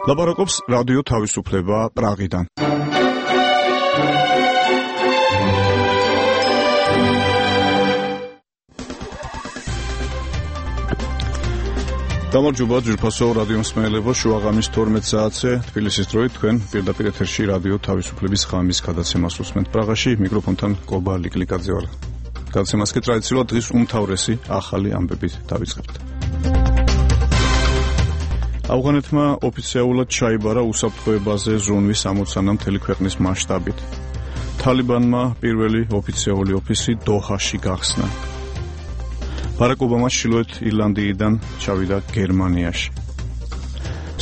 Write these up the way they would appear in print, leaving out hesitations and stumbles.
ლაპარაკობს რადიო თავისუფლება პრაღიდან. გამარჯობა ძვირფასო რადიო მსმენელებო, შუაღამის 12 საათზე თბილისის დროით თქვენ პირდაპირ ეთერში რადიო თავისუფლების ღამის გადაცემას უსმენთ პრაღაში, მიკროფონთან კობა ლიკლიკაძე ვარ. გადაცემას კი ტრადიციულად დღის უმთავრესი ახალი ამბებით დავიწყებთ. ავღანეთმა ოფიციალურად ჩაიბარა უსაფრთხოებაზე ზრუნვის ამოცანა მთელი ქვეყნის მასშტაბით. თალიბანმა პირველი ოფიციალური ოფისი დოჰაში გახსნა. ბარაკ ობამა ჩრდილოეთ ირლანდიიდან ჩავიდა გერმანიაში.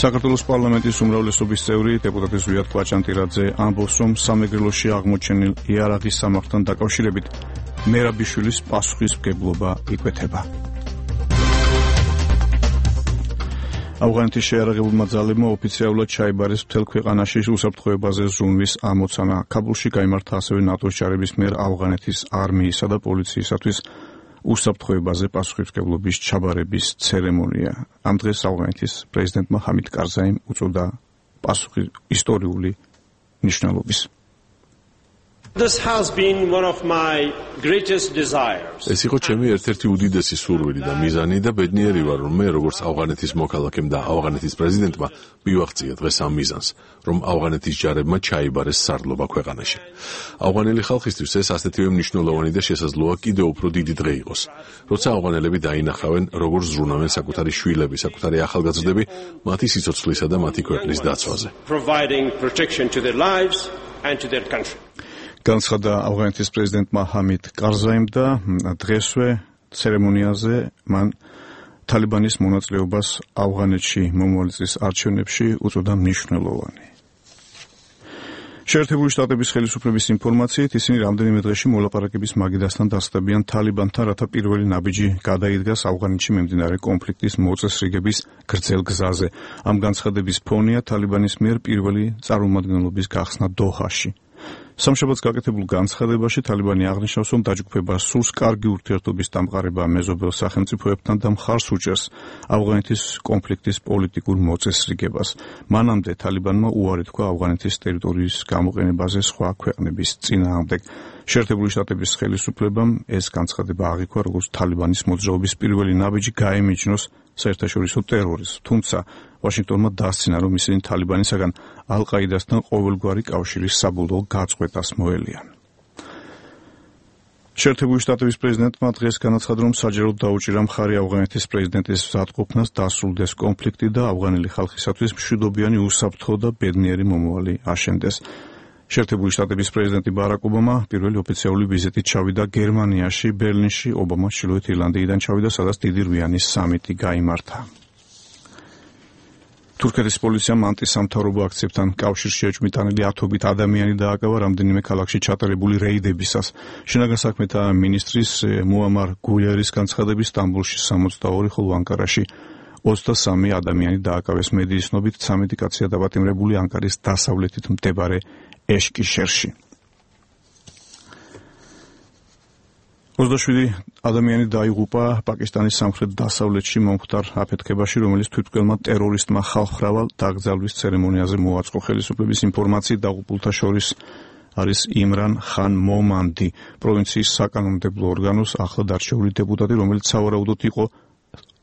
საქართველოს პარლამენტის უმრავლესობის წევრი დეპუტატი ზვიად კვაჭანტირაძე ამბობს, რომ სამეგრელოში აღმოჩენილ იარაღის სამარხთან დაკავშირებით მერაბიშვილის პასუხისმგებლობა იკვეთება. ავღანეთის შეიარაღებულმა ძალებმა ოფიციალურად ჩაიბარეს მთელ ქვეყანაში უსაფრთხოებაზე ზრუნვის ამოცანა. ქაბულში გაიმართა ასევე ნატოს ჯარების მიერ ავღანეთის არმიისა და პოლიციისათვის უსაფრთხოებაზე პასუხისმგებლობის ჩაბარების ცერემონია. ამ დღეს ავღანეთის პრეზიდენტმა ჰამიდ კარზაიმ უწოდა პასუხი ისტორიული მნიშვნელობის. This has been one of my greatest desires. ეს იყო ჩემი ერთ-ერთი უდიდესი სურვილი და მიზანი და ბედნიერი ვარ, რომ მე როგორც ავღანეთის მოქალაქემ და ავღანეთის პრეზიდენტმა მივაღწია დღეს ამ მიზანს, რომ ავღანეთის ჯარებმა ჩაიბარეს სარდლობა ქვეყანაში. ავღანელი ხალხისთვის ეს ასეთივე მნიშვნელოვანი და შესაძლოა კიდევ უფრო დიდი დღე იყოს, როცა ავღანელები დაინახავენ, როგორ ზრუნავენ საკუთარი შვილები, საკუთარი ახალგაზრდები მათი სიცოცხლისა და მათი ქვეყნის დაცვაზე. Providing protection to their lives and to their country. განცხადა ავღანეთის პრეზიდენტმა ჰამიდ კარზაიმ და დღესვე ცერემონიაზე მან თალიბანის მონაწილეობას ავღანეთში მომავალი წლის არჩევნებში უწოდა მნიშვნელოვანი. შეერთებული შტატების ხელისუფლების ინფორმაციით ისინი რამდენიმე დღეში მოლაპარაკების მაგიდასთან დასწრებიან თალიბანთან, რათა პირველი ნაბიჯი გადაიდგას ავღანეთში მიმდინარე კონფლიქტის მოწესრიგების გრძელ გზაზე. ამ განცხადების ფონია თალიბანის მიერ პირველი წარმომადგენლობის გახსნა დოჰაში. სამშაბათს გაკეთებულ განცხადებაში თალიბანი აღნიშნავს, რომ დაჯგუფება სურს კარგი ურთიერთობის დამყარება მეზობელ სახელმწიფოებთან და მხარს უჭერს ავღანეთის კონფლიქტის პოლიტიკურ მოწესრიგებას. მანამდე თალიბანმა უარი თქვა ავღანეთის ტერიტორიის გამოყენებაზე სხვა ქვეყნების წინააღმდეგ. შეერთებული შტატების ხელისუფლებამ ეს განცხადება აღიქვა, როგორც თალიბანის მოძრაობის პირველი ნაბიჯი გაემიჯნოს საერთაშორისო ტერორიზმს. თუმცა ვაშინგტონმა დასცინა, რომ ისინი თალიბანისაგან ალ-ყაიდასთან ყოველგვარი კავშირის საბოლოო გაწყვეტას მოელიან. შეერთებული შტატების პრეზიდენტმა დღეს განაცხადა, რომ საჯაროდ დაუჭირა მხარი ავღანეთის პრეზიდენტის მზადყოფნას დასრულდეს კონფლიქტი და ავღანელი ხალხისათვის მშვიდობიანი, უსაფრთხო და ბედნიერი მომავალი აშენდეს. შეერთებული შტატების პრეზიდენტი ბარაკ ობამა პირველი ოფიციალური ვიზიტით ჩავიდა გერმანიაში, ბერლინში. ობამა ჩრდილოეთ ირლანდიიდან ჩავიდა, სადაც დიდი რვიანი სამიტი გაიმართა. თურქეთის პოლიციამ ანტისამთავრობო აქციებთან კავშირში ეჭვმიტანილი ათობით ადამიანი დააკავა რამდენიმე ქალაქში ჩატარებული რეიდებისას. შინაგან საქმეთა მინისტრის მუამარ გულიერის განცხადებით სტამბოლში 62, ხოლო ანკარაში 23 ადამიანი დააკავეს. მედიის ცნობით 13 კაცია დაპატიმრებული ანკარის დასავლეთით მდებარე ეშკიშერში. 27 ადამიანი დაიღუპა პაკისტანის სამხრეთ-დასავლეთში მომხდარ აფეთქებაში, რომელიც თვითმკვლელმა ტერორისტმა ხალხმრავალ დაკრძალვის ცერემონიაზე მოაწყო. ხელისუფლების ინფორმაციით დაღუპულთა შორის არის იმრან ხან მომანდი, პროვინციის საკანონმდებლო ორგანოს ახლად არჩეული დეპუტატი, რომელიც სავარაუდოდ იყო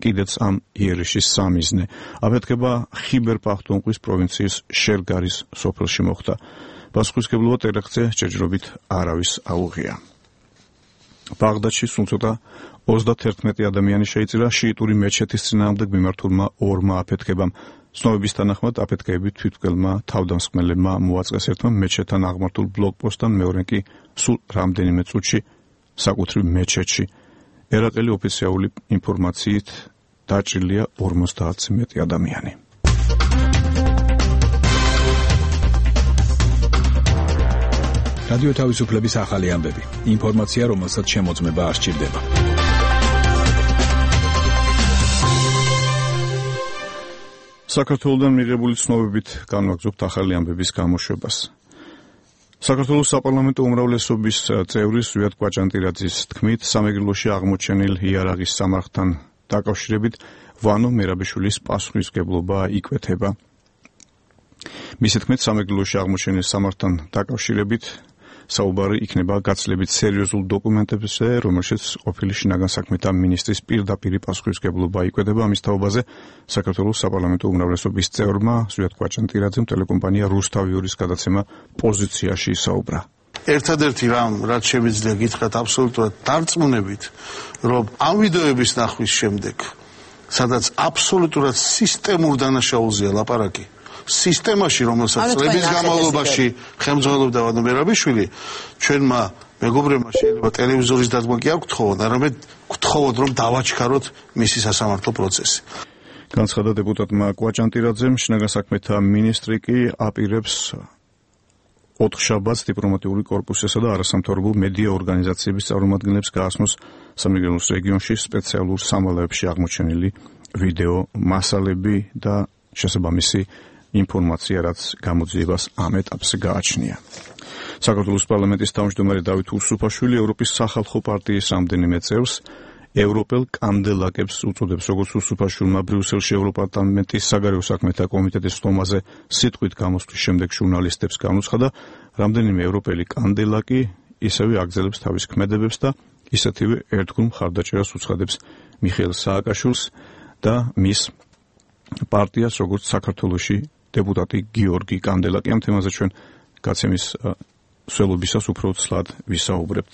კიდეც ამ იერიშის სამიზნე. აფეთქება ხიბერ პახტუნხვის პროვინციის შერგარის სოფელში მოხდა. პასუხისმგებლობა ტერაქტზე ჯერჯერობით არავის აუღია. ბაღდადში სულ ცოტა 31 ადამიანი შეიწირა შიიტური მეჩეთის წინააღმდეგ მიმართულმა ორმა აფეთქებამ. ცნობების თანახმად აფეთქებები თვითმკვლელმა თავდამსხმელებმა მოაწყეს ერთმა მეჩეთთან აღმართულ ბლოკპოსტთან, მეორე კი სულ რამდენიმე წუთში საკუთრივ მეჩეთში. ერაყელი ოფიციალური ინფორმაციით დაჭრილია 50-ზე მეტი ადამიანი. რადიო თავისუფლების ახალი ამბები. ინფორმაცია, რომელსაც შემოწმება არ სჭირდება. საქართველოსთან მიღებული ცნობებით განვაგრძობთ ახალი ამბების გამოშვებას. საქართველოს საპარლამენტო უმრავლესობის წევრი ზვიად კვაჭანტირაძის თქმით, სამეგრელოში აღმოჩენილ იარაღის სამარხთან დაკავშირებით ვანო მერაბიშვილის პასუხისმგებლობა იკვეთება. მისი თქმით, სამეგრელოში აღმოჩენილ სამართთან დაკავშირებით საუბარი იქნება გაცილებით სერიოზულ დოკუმენტებზე, რომელშიც ყოფილი შინაგან საქმეთა მინისტრის პირდაპირ პასუხისმგებლობა იკვედება. ამის თაობაზე საქართველოს საპარლამენტო უმრავლესობის წევრმა ზვიად კვაჭანტირაძემ ტელეკომპანია რუსთავიურის გადაცემა პოზიციაში ისაუბრა. ერთადერთი რამ, რაც შემიძლია გითხრათ აბსოლუტურად დარწმუნებით, რომ ამ ვიდეოების ნახვის შემდეგ, სადაც აბსოლუტურად სისტემურ დანაშაულზეა ლაპარაკი, სისტემაში, რომელსაც წლების განმავლობაში ხელმძღვანელობდა ვადო მერაბიშვილი, ჩვენმა მეგობრებმა შეიძლება ტელევიზორის დადგმა კი არ გთხოვოთ, არამედ გთხოვოთ, რომ დავაჩქაროთ მისი სასამართლო პროცესი. განცხადა დეპუტატმა კვაჭანტირაძემ, შინაგან საქმეთა მინისტრი კი აპირებს ოთხშაბათს დიპლომატიური კორპუსისა და არასამთავრობო მედია ორგანიზაციების წარმომადგენლებს გაასმოს სამეგრელოს რეგიონში სპეციალურ სამალავებში აღმოჩენილი ვიდეო მასალები და შესაბამისი ინფორმაცია, რაც გამოძიებას ამ ეტაპზე გააჩნია. საქართველოს პარლამენტის თავმჯდომარე დავით უსუფაშვილი ევროპის სახალხო პარტიის რამდენიმე წევრს ევროპელ კანდელაკებს უწოდებს, როგორც უსუფაშვილმა ბრიუსელში ევროპარლამენტის საგარეო საქმეთა კომიტეტის სტომაზე სიტყვით გამოსვლის შემდეგ ჟურნალისტებს განუცხადა, რამდენიმე ევროპელი კანდელაკი ისევე აგრძელებს თავის ქმედებებს და ისეთივე ერთგულ მხარდაჭერას უცხადებს მიხეილ სააკაშვილს და მის პარტიას, როგორც საქართველოში დეპუტატი გიორგი კანდელაკი. ამ თემაზე ჩვენ გაცემის სველობისას უფრო ცლად ვისაუბრებთ.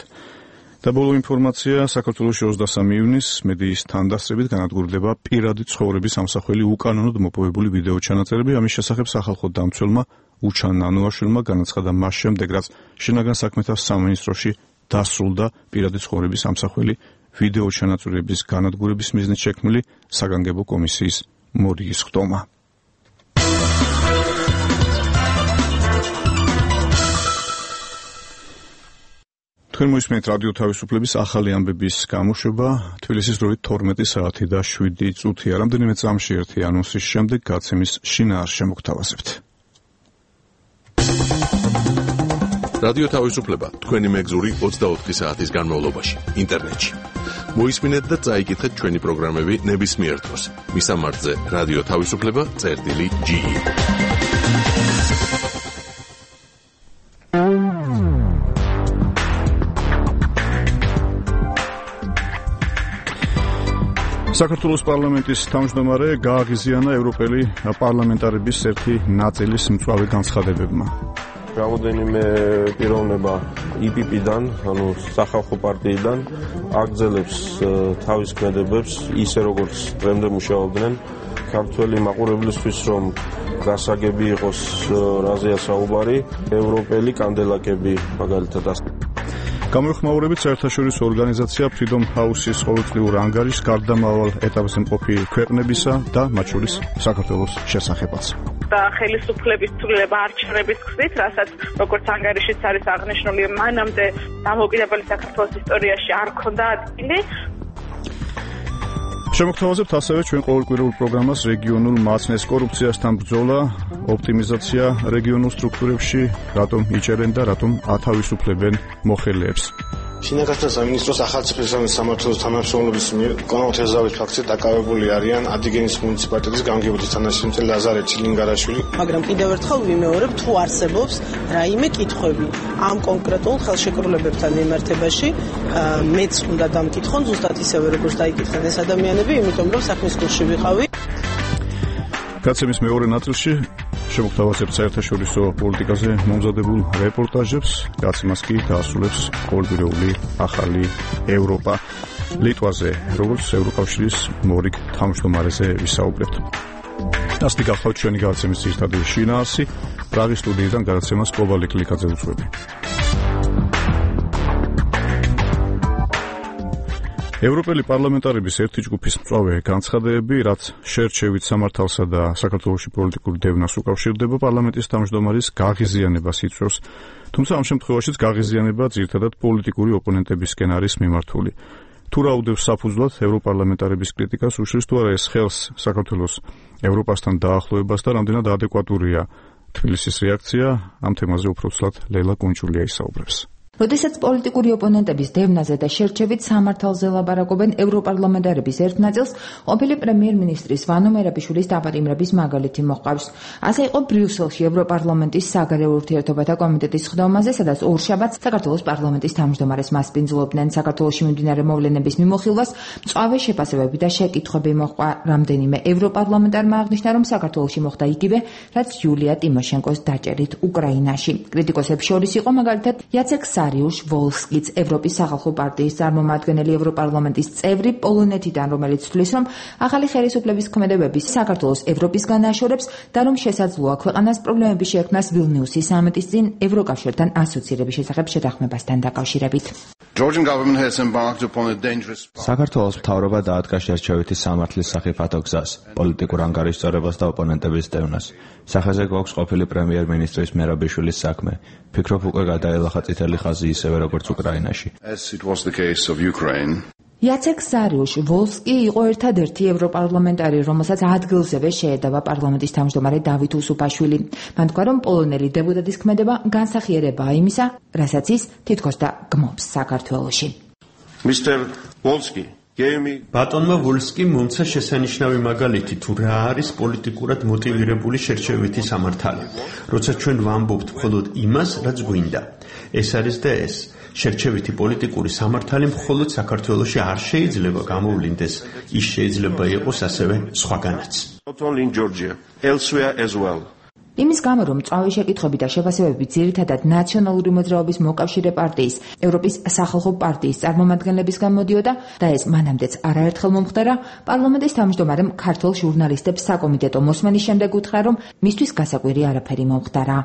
და ბოლო ინფორმაცია, საქართველოში 23 ივნისს მედიის თანდასწრებით განადგურდება პირადი ცხოვრების ამსახველი უკანონოდ მოპოვებული ვიდეო ჩანაწერები. ამის შესახებ სახალხო დამცველმა უჩან ნანუაშვილმა განაცხადა მას შემდეგ, რაც შინაგან საქმეთა სამინისტროში დასრულდა პირადი ცხოვრების ამსახველი ვიდეო ჩანაწერების განადგურების მიზნით შექმნილი საგანგებო კომისიის მორიგის ხდომა. თქვენ მოისმენთ რადიო თავისუფლების ახალი ამბების გამოშვება. თბილისის დროით 12 საათი და 7 წუთია. რამდენიმე წამში ერთი ანონსის შემდეგ გაცემის შინაარსს მოგთავაზებთ. რადიო თავისუფლება თქვენი მეგზური 24 საათის განმავლობაში ინტერნეტში. მოისმინეთ და წაიკითხეთ ჩვენი პროგრამები ნებისმიერ დროს. მისამართზე რადიო თავისუფლება.ge საქართველოს პარლამენტის თავმჯდომარე გააღიზიანა ევროპელი პარლამენტარების ერთი ნაწილის მწვავე განცხადებებმა. Raudენიმე პიროვნება IPP-დან, ანუ სახალხო პარტიიდან აგრძელებს თავის ქმედებებს ისე როგორც დღემდე მუშაობდნენ. ქართველი მაყურებლისთვის რომ გასაგები იყოს რაზეა საუბარი, ევროპელი კანდელაკები მაგალითად გამოიხმაურებით საერთაშორისო ორგანიზაცია Freedom House-ის ყოველწლიურ ანგარიშს გარდამავალ ეტაპზე მყოფი ქვეყნებისა და მათ შორის საქართველოს შესახებაც. და ხელისუფლების ცვლილება არჩევნების გზით, რასაც როგორც ანგარიშიც არის აღნიშნული, მანამდე დამოუკიდებელი საქართველოს ისტორიაში არ ჰქონდა ადგილი. შემოგთავაზებთ ასევე ჩვენ ყოველკვირეულ პროგრამას რეგიონულ მაცნეს კორუფციასთან ბრძოლა, ოპტიმიზაცია რეგიონულ სტრუქტურებში, რატომ იჭერენ და რატომ ათავისუფლებენ მოხელეებს. შინაგანთა სამინისტროს ახალციხესიმელის სამმართველოს თანამშრომლობის მიერ კონკრეტულ ზავის ფაქტზე დაკავებული არიან ადიგენის მუნიციპალიტეტის გამგებობის თანაშემწე ლაზარე ჩილინგარაშვილი. მაგრამ კიდევ ერთხელ ვიმეორებ, თუ არსებობს რაიმე კითხვები ამ კონკრეტულ ხელშეკრულებებთან მიმართებაში, მეც უნდა დამკითხონ ზუსტად ისევე როგორც დაიკითხენ ეს ადამიანები, იმიტომ რომ საქმის კურსში ვიყავი. გაცემის მეორე ნაწილში შემოგთავაზებთ საერთაშორისო პოლიტიკაზე მომზადებულ რეპორტაჟებს, გაცემას კი დაასრულებს ყოველკვირეული ახალი ევროპა. ლიტვაზე, როგორც ევროკავშირის მორიგ თავმჯდომარეზე ვისაუბრებთ. ასეთი გახლავთ ჩვენი გაცემის ძირითადი შინაარსი, პრაღის სტუდიიდან გადაცემას კობალი კლიკაძე უძღვები. ევროპელი პარლამენტარების ერთი ჯგუფის მწვავე განცხადებები, რაც შერჩევით სამართალსა და საქართველოში პოლიტიკურ დევნას უკავშირდება, პარლამენტის თავმჯდომარის გაღიზიანებას იწვევს. თუმცა ამ შემთხვევაშიც გაღიზიანება ძირითადად პოლიტიკური ოპონენტებისკენ არის მიმართული. თუ რა უდევს საფუძვლად ევროპარლამენტარების კრიტიკას, უშლის თუ არა ეს ხელს საქართველოს ევროპასთან დაახლოებას და რამდენად ადეკვატურია თბილისის რეაქცია, ამ თემაზე უფრო ცლად ლელა კუნჭულია ისაუბრებს. როდესაც პოლიტიკური ოპონენტების დევნაზე და შერჩევით სამართალზე ლაპარაკობენ ევროპარლამენტარების ერთ ნაწილს, ყოფილი პრემიერ-მინისტრის ვანო მერაბიშვილის დაპატიმრების მაგალითი მოჰყავს. ასე იყო ბრიუსელში ევროპარლამენტის საგარეო ურთიერთობათა კომიტეტის ხდომაზე, სადაც ორშაბათს საქართველოს პარლამენტის თავმჯდომარეს მასპინძლობდნენ. საქართველოში მიმდინარე მოვლენების მიმოხილვას მწვავე შეფასებები და შეკითხვები მოჰყვა. რამდენიმე ევროპარლამენტარმა აღნიშნა, რომ საქართველოში მოხდა იგივე, რაც იულია ტიმოშენკოს დაჭერით უკრაინაში. კრიტიკოსებს შორის იყო მაგალითად იაცეკ სარიუშ-ვოლსკიც, ევროპის სახალხო პარტიის წარმომადგენელი ევროპარლამენტის წევრი პოლონეთიდან, რომელიც თვლის, რომ ახალი ხელისუფლების ქმედებები საქართველოს ევროპისგან აშორებს და რომ შესაძლოა ქვეყანას პრობლემები შეექმნას ვილნიუსის სამიტის წინ ევროკავშირთან ასოცირების შესახებ შეთანხმებასთან დაკავშირებით. საქართველოს მთავრობა დაადგა შერჩევითი სამართლის სახიფათო გზას, პოლიტიკურ ანგარიშწორებას და ოპონენტების დევნას. სახეზე გვაქვს ყოფილი პრემიერ-მინისტრის მერაბიშვილის საქმე. ფიქრობ უკვე გადაელახა წითელი ხაზი ისევე როგორც უკრაინაში. იაცეკ სარიუშ-ვოლსკი იყო ერთადერთი ევროპარლამენტარი, რომელსაც ადგილზევე შეედავა პარლამენტის თავმჯდომარე დავით უსუფაშვილი. მან თქვა, რომ პოლონელი დეპუტატის ქმედება განსახიერებაა იმისა, რასაც ის თითქოს და გმობს საქართველოში. ბატონმა ვოლსკიმ მომცა შესანიშნავი მაგალითი თუ რა არის პოლიტიკურად მოტივირებული შერჩევითი სამართალი. როცა ჩვენ ვამბობთ მხოლოდ იმას, რაც გვინდა. ეს არის და ეს. შერჩევითი პოლიტიკური სამართალი მხოლოდ საქართველოში არ შეიძლება გამოვლინდეს, ის შეიძლება იყოს ასევე სხვაგანაც. იმის გამო, რომ მწვავე შეკითხვები და შეფასებები ძირითადად ნაციონალური მოძრაობის მოკავშირე პარტიის, ევროპის სახალხო პარტიის წარმომადგენლებისგან მოდიოდა და ეს მანამდეც არაერთხელ მომხდარა, პარლამენტის თავმჯდომარემ ქართულ ჟურნალისტებს საკომიტეტო მოსმენის შემდეგ უთხრა, რომ მისთვის გასაკვირი არაფერი მომხდარა.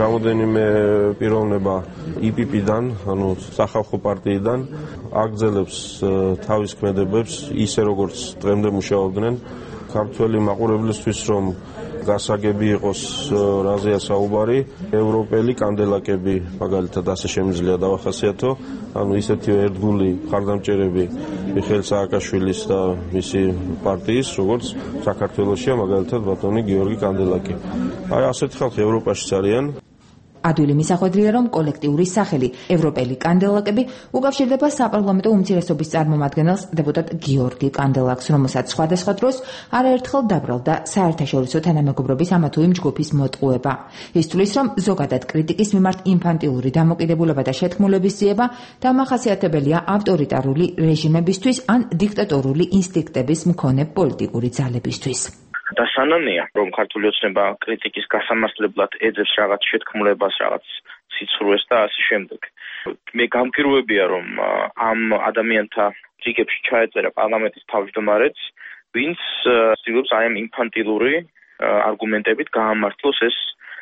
რამოდენიმე პიროვნება IPP-დან, ანუ სახალხო პარტიიდან აგრძელებს თავის ქმედებებს ისე როგორც დღემდე მუშაობდნენ. ქართველი მაყურებლისთვის რომ გასაგები იყოს რაზეა საუბარი, ევროპელი კანდელაკები მაგალითად ასე შემიძლია დავახასიათო, ანუ ისეთივე ერთგული მხარდამჭერები მიხეილ სააკაშვილის და მისი პარტიის, როგორც საქართველოშია მაგალითად ბატონი გიორგი კანდელაკი. აი ასეთი ხალხი ევროპაშიც არიან. ადვილი მისახვედრია, რომ კოლექტიური სახელი ევროპელი კანდელაკები უკავშირდება საპარლამენტო უმცირესობის წარმომადგენელს დეპუტატ გიორგი კანდელაკს, რომელსაც სხვადასხვა დროს არაერთხელ დაბრალდა საერთაშორისო თანამეგობრობის ამა თუ იმ ჯგუფის მოტყუება. ის თვლის, რომ ზოგადად კრიტიკის მიმართ ინფანტილური დამოკიდებულება და შეთქმულების ძიება დამახასიათებელია ავტორიტარული რეჟიმებისთვის ან დიქტატორული ინსტინქტების მქონე პოლიტიკური ძალებისთვის. დასანანია, რომ ქართული ოცნება კრიტიკის გასამართლებლად ეძებს რაღაც შეთქმულებას, რაღაც სიცრუეს და ასე შემდეგ. მე გამგირვებია, რომ ამ ადამიანთა რიგებში ჩაეწერა პარლამენტის თავმჯდომარეც, ვინც ცდილობს აი ამ ინფანტილური არგუმენტებით გაამართლოს ეს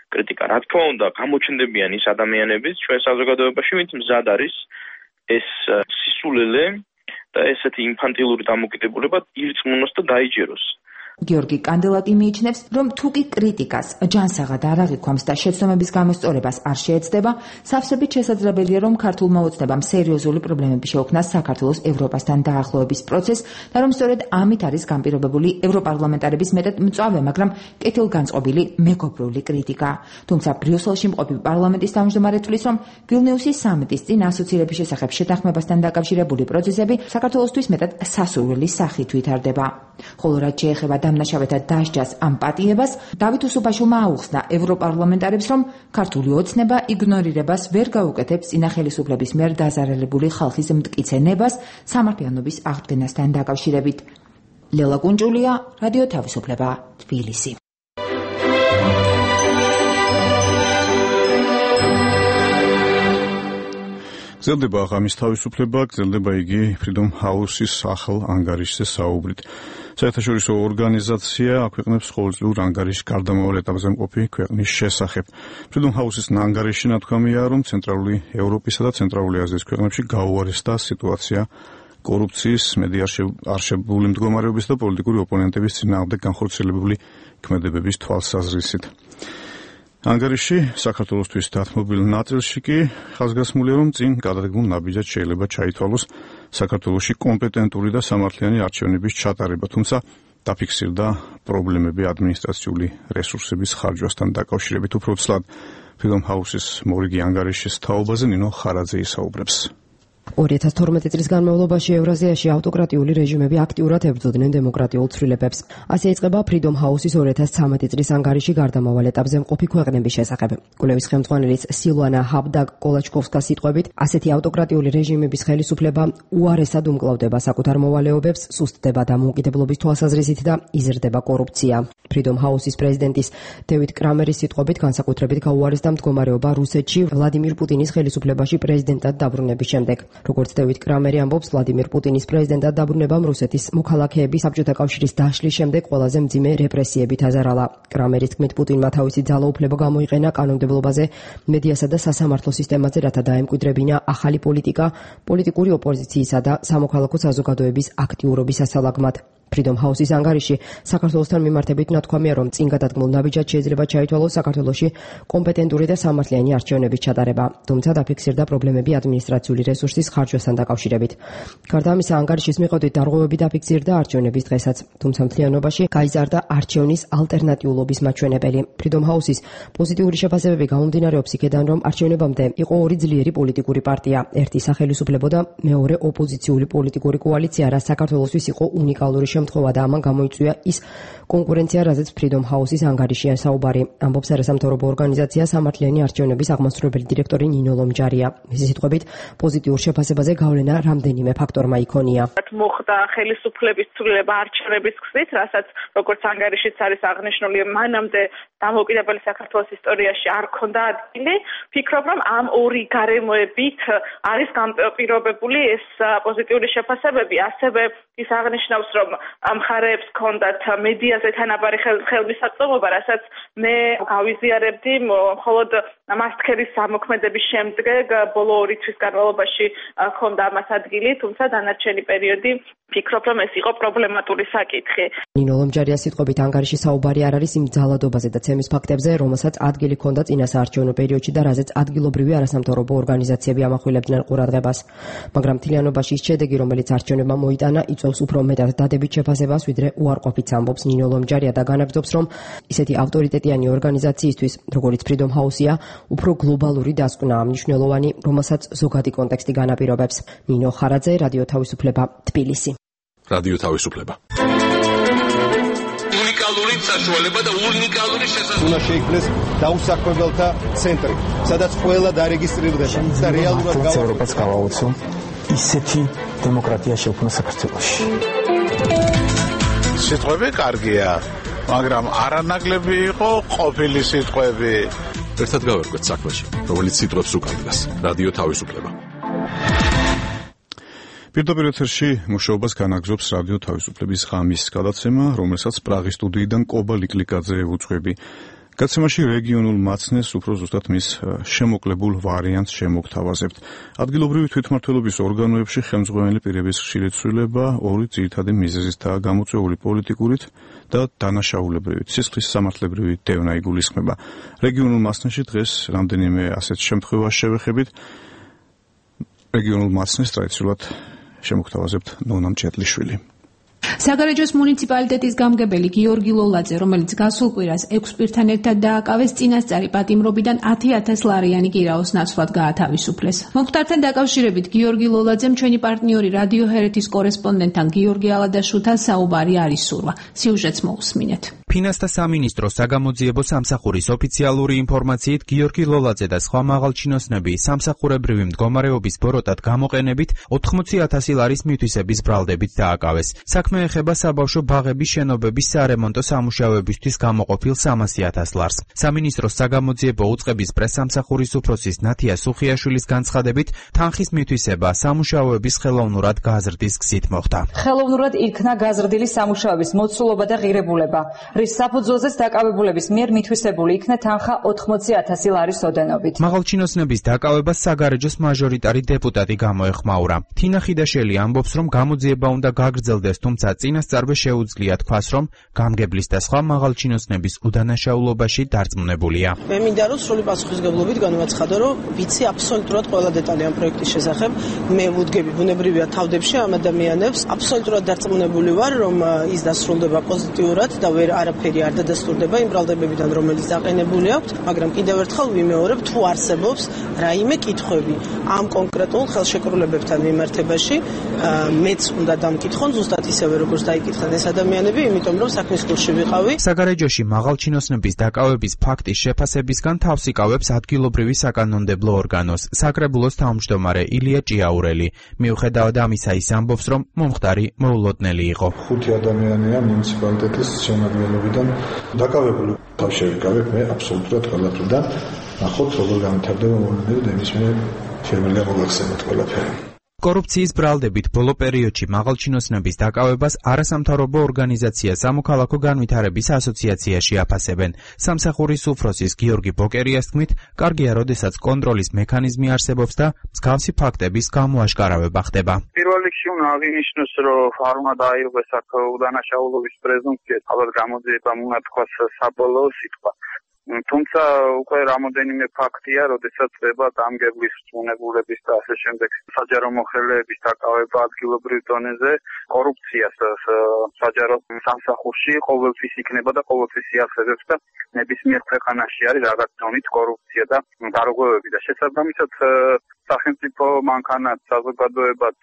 კრიტიკა. რა თქმა უნდა, გამოჩნდებიან ის ადამიანებიც ჩვენ საზოგადოებაში, ვინც მზად არის ეს სისულელე და ესეთი ინფანტილური დამოკიდებულება ირწმუნოს და დაიჯეროს. გიორგი კანდელაკი მიიჩნევს, რომ თუკი კრიტიკას ჯანსაღად არ აღიქვამს და შეცდომების გამოსწორებას არ შეეცდება, სავსებით შესაძლებელია, რომ ქართულმა ოცნებამ სერიოზული პრობლემები შეუქმნას საქართველოს ევროპასთან დაახლოების პროცესს და რომ სწორედ ამით არის განპირობებული ევროპარლამენტარების მეტად მწვავე, მაგრამ კეთილგანწყობილი მეგობრული კრიტიკა. თუმცა ბრიუსელში მყოფი პარლამენტის თავმჯდომარე თვლის, რომ ვილნიუსის სამიტის წინ ასოცირების შესახებ შეთანხმებასთან დაკავშირებული პროცესები საქართველოსთვის მეტად სასურველი სახით ვითარდება. ხოლო რაც შეეხება დამნაშავეთა დასჯას ამ პატიებას, დავით უსუფაშვილმა აუხსნა ევროპარლამენტარებს, რომ ქართული ოცნება იგნორირებას ვერ გაუკეთებს წინა ხელისუფლების მიერ დაზარალებული ხალხის მტკიცე ნებას სამართლიანობის აღდგენასთან დაკავშირებით. ლელა კუნჭულია, რადიო თავისუფლება, თბილისი. გრძელდება ღამის თავისუფლება, გრძელდება იგი Freedom House-ის ახალ ანგარიშზე საუბრით. საერთაშორისო ორგანიზაცია აქვეყნებს ყოველწლიურ ანგარიშს გარდამავალ ეტაპზე მყოფი ქვეყნის შესახებ. Freedom House-ის ანგარიში ნათქვამია, რომ ცენტრალური ევროპისა და ცენტრალური აზიის ქვეყნებში გაუარესდა სიტუაცია კორუფციის, მედია არშებული მდგომარეობის და პოლიტიკური ოპონენტების წინააღმდეგ განხორციელებული ქმედებების თვალსაზრისით. ანგარიში საქართველოსთვის დათმობილ ნაწილში კი ხაზგასმულია, რომ წინ გადადგმულ ნაბიჯად შეიძლება ჩაითვალოს საქართველოში კომპეტენტური და სამართლიანი არჩევნების ჩატარება, თუმცა დაფიქსირდა პრობლემები ადმინისტრაციული რესურსების ხარჯვასთან დაკავშირებით. უფრო ცლად, Freedom House-ის მორიგი ანგარიშის თაობაზე ნინო ხარაძე ისაუბრებს. 2012 წლის განმავლობაში ევრაზიაში ავტოკრატიული რეჟიმები აქტიურად ებრძოდნენ დემოკრატიულ ცვლილებებს. ასე იწყება Freedom House-ის 2013 წლის ანგარიში გარდამავალ ეტაპზე მყოფი ქვეყნების შესახებ. კვლევის ხელმძღვანელის სილვანა ჰაბდაკ-კოლაჩკოვსკას სიტყვებით, ასეთი ავტოკრატიული რეჟიმების ხელისუფლება უარესად უმკლავდება საკუთარ მოვალეობებს, სუსტდება დამოუკიდებლობის თვალსაზრისით და იზრდება კორუფცია. Freedom House-ის პრეზიდენტის დევიდ კრამერის სიტყვებით, განსაკუთრებით გაუარესდა მდგომარეობა რუსეთში ვლადიმირ პუტინის ხელისუფლებაში პრეზიდენტად დაბრუნების შემდეგ. როგორც დევიდ კრამერი ამბობს, ვლადიმირ პუტინის პრეზიდენტად დაბრუნებამ რუსეთის მოქალაქეების საბჭოთა კავშირის დაშლის შემდეგ ყველაზე მძიმე რეპრესიებით აზარალა. კრამერის თქმით, პუტინმა თავისი ძალაუფლება გამოიყენა კანონმდებლობაზე, მედიასა და სასამართლო სისტემაზე, რათა დაემკვიდრებინა ახალი პოლიტიკა, პოლიტიკური ოპოზიციისა და სამოქალაქო საზოგადოების აქტიურობის ასალაგმად. Freedom House-ის ანგარიში საქართველოსთან მიმართებით ნათქვამია, რომ წინ გადადგმულ ნაბიჯად შეიძლება ჩაითვალოს საქართველოში კომპეტენტური და სამართლიანი არჩევნების ჩატარება, თუმცა დაფიქსირდა პრობლემები ადმინისტრაციული რესურსის ხარჯვასთან დაკავშირებით. გარდა ამისა, ანგარიშის მიხედვით დარღვევები დაფიქსირდა არჩევნების დღესაც, თუმცა მთლიანობაში გაიზარდა არჩევნის ალტერნატიულობის მაჩვენებელი. Freedom House-ის პოზიტიური შეფასებები გამომდინარეობს იქედან, რომ არჩევნებამდე იყო ორი ძლიერი პოლიტიკური პარტია, ერთი სახელისუფლებო და მეორე ოპოზიციური პოლიტიკური კოალიცია, რაც საქართველოსთვის იყო უნიკალური შემთხვევა და ამან გამოიწვია ის კონკურენცია, რაზეც Freedom House-ის ანგარიშია საუბარი. ამბობს არასამთავრობო ორგანიზაცია სამართლიანი არჩევნების აღმასრულებელი დირექტორი ნინო ლომჯარია. მისი სიტყვებით, პოზიტიურ შეფასებაზე გავლენა რამდენიმე ფაქტორმა იქონია. მოხდა ხელისუფლების ცვლილება არჩევნების გზით, რასაც როგორც ანგარიშიც არის აღნიშნული, მანამდე დამოუკიდებელი საქართველოს ისტორიაში არ ქონდა ადგილი. ფიქრობ, რომ ამ ორი გარემოებით არის განპირობებული ეს პოზიტიური შეფასებები. ასევე ის აღნიშნავს, რომ მხარეებს ჰქონდათ მედიაზე თანაბარი ხელმისაწვდომობა, რასაც მე გავიზიარებდი მხოლოდ მასტქერის ზემოქმედების შემდეგ ბოლო 2 თვის განმავლობაში ჰქონდა ამას ადგილი, თუმცა დანარჩენი პერიოდი ფიქრობ, რომ ეს იყო პრობლემატური საკითხი. ნინო ლომჯარიას სიტყვებით, ანგარიში საუბარი არ არის იმ ძალადობაზე და ცემის ფაქტებზე, რომელსაც ადგილი ჰქონდა წინასაარჩევნო პერიოდში და რაზეც ადგილობრივი არასამთავრობო ორგანიზაციები ამახვილებდნენ ყურადღებას. მაგრამ მთლიანობაში ის შედეგი, რომელიც არჩევნებმა მოიტანა, იწვევს უფრო მეტად დადებით შეფასებას, ვიდრე უარყოფით, ამბობს ნინო ლომჯარია და განაგრძობს, რომ ისეთი ავტორიტეტიანი ორგანიზაციისთვის, როგორც Freedom House-ია, უფრო გლობალური დასკვნა მნიშვნელოვანი, რომელსაც ზოგადი კონტექსტი განაპირობებს. ნინო ხარაძე, რადიო თავისუფლება, თბილისი. რადიო თავისუფლება. უნიკალური საშუალება და უნიკალური შესაძლებლობა. უნდა შეიქმნეს დაუსაქმებელთა ცენტრი, სადაც ყველა დარეგისტრირდება და რეალურად ევროპას გავაუწო ისეთი დემოკრატია შექმნა საქართველოში. სიტყვები კარგია, მაგრამ არანაკლები იყო ყოფილი სიტყვები. ერთად გავერკვეთ საქმეში, რომელიც სიტყვებს უკავშირდება. რადიო თავისუფლება. პირდაპირ ეთერში მუშაობას განაგრძობს რადიო თავისუფლების ღამის გადაცემა, რომელსაც პრაღის სტუდიიდან კობა ლიკლიკაძე უძღვები. გაცემაში რეგიონულ მაცნეს უფრო ზუსტად მის შემოკლებულ ვარიანტს შემოგთავაზებთ. ადგილობრივი თვითმმართველობის ორგანოებში ხელმძღვანელი პირების ხშირი ცვლილება ორი ძირითადი მიზეზისთაა გამოწვეული პოლიტიკურით და დანაშაულებრივით. სისხლის სამართლებრივი დევნა იგულისხმება. რეგიონულ მაცნეში დღეს რამდენიმე ასეთ შემთხვევას შევეხებით. რეგიონულ მაცნეს ტრადიციულად შემოგთავაზებთ ნონა მჭედლიშვილი. საგარეჯოს მუნიციპალიტეტის გამგებელი გიორგი ლოლაძე, რომელიც გასულ კვირას 6 პირთან ერთად დააკავეს წინასწარი პატიმრობიდან 10,000 ლარიანი გირაოს ნაცვლად გაათავისუფლეს. მომხდართან დაკავშირებით გიორგი ლოლაძემ ჩვენი პარტნიორი რადიო ჰერეთის კორესპონდენტთან გიორგი ალადაშვილთან საუბარი არ ისურვა. სიუჟეტს მოусმინეთ. ფინანსთა სამინისტროს საგამოძიებო სამსახურის ოფიციალური ინფორმაციით გიორგი ლოლაძე და სხვა მაღალჩინოსნები სამსახურებრივი მდგომარეობის ბოროტად გამოყენებით 80,000 ლარის მითვისების ბრალდებით დააკავეს. საქმე ეხება საბავშვო ბაღების შენობების სარემონტო სამუშაოებისთვის გამოყოფილ 300,000 ლარს. სამინისტროს საგამოძიებო უწყების პრესსამსახურის უფროსის ნათია სუხიაშვილის განცხადებით, თანხის მითვისება სამუშაოების ხელოვნურად გაზრდის გზით მოხდა. ხელოვნურად იქნა გაზრდილი სამუშაოების მოცულობა და ღირებულება, რის საფუძველზეც დაკავებულების მიერ მითვისებული იქნა თანხა 80,000 ლარის ოდენობით. მაღალჩინოსნების დაკავებას საგარეჯოს მაჟორიტარი დეპუტატი გამოეხმაურა. თინა ხიდაშელი ამბობს, რომ გამოძიება უნდა გაგრძელდეს, თუმცა წინასწარვე შეუძლია თქვას, რომ გამგებლის და სხვა მაღალჩინოსნების უდანაშაულობაში დარწმუნებულია. მე მინდა რომ სრული პასუხისგებლობით განვაცხადო, რომ ვიცი აბსოლუტურად ყველა დეტალი ამ პროექტის შესახებ. მე ვუდგები ბუნებრივია თავდებში ამ ადამიანებს. აბსოლუტურად დარწმუნებული ვარ, რომ ის დასრულდება პოზიტიურად და ვერ არაფერი არ დადასტურდება იმ ბრალდებებიდან, რომელიც დაყენებული აქვს, მაგრამ კიდევ ერთხელ ვიმეორებ, თუ არსებობს რაიმე კითხვები ამ კონკრეტულ ხელშეკრულებებთან მიმართებაში, მეც უნდა დამკითხონ ზუსტად ისევე როგორც დაიკითხան ეს ადამიანები, იმიტომ რომ საქმის კურსში ვიყავი. საგარეჯოში მაღალჩინოსნების დაკავების ფაქტის შეფასებისგან თავს იკავებს ადგილობრივი საკანონმდებლო ორგანოს, საკრებულოს თავმჯდომარე ილია ჭიაურელი. მიუხედავად ამისა, ის ამბობს, რომ მომხდარი მოულოდნელი იყო. 5 ადამიანია მუნიციპალიტეტის შემადგენლობიდან დაკავებული. თავში ვიკავებ მე აბსოლუტურად ყველაფრიდან. ნახოთ როგორ განვითარდება მოვლენები და იმის მე შემიძლია მოგახსენოთ ყველაფერი. კორუფციის ბრალდებით ბოლო პერიოდში მაღალჩინოსნების დაკავებას არასამთავრობო ორგანიზაცია სამოქალაქო განვითარების ასოციაციაში აფასებენ. სამსახურის უფროსის გიორგი ბოკერიას თქმით, კარგია, როდესაც კონტროლის მექანიზმი არსებობს და მსგავსი ფაქტების გამოაშკარავება ხდება. პირველ რიგში უნდა აღინიშნოს, რომ არ უნდა დაირღვეს აქ უდანაშაულობის პრეზუმპცია, ალბათ გამოძიება უნდა თქვას საბოლოო სიტყვა. თუმცა უკვე რამოდენიმე ფაქტია, როდესაც ხდება დამგებლის რწმუნებულების და ასე შემდეგ საჯარო მოხელეების დაკავება ადგილობრივ დონეზე, კორუფციას საჯარო სამსახურში ყოველთვის იქნება და ყოველთვის იახსებებს და ნებისმიერ ქვეყანაში არის რაღაც დონით კორუფცია და დარღვევები და შესაბამისად სახელმწიფო მანქანაც, საზოგადოებაც,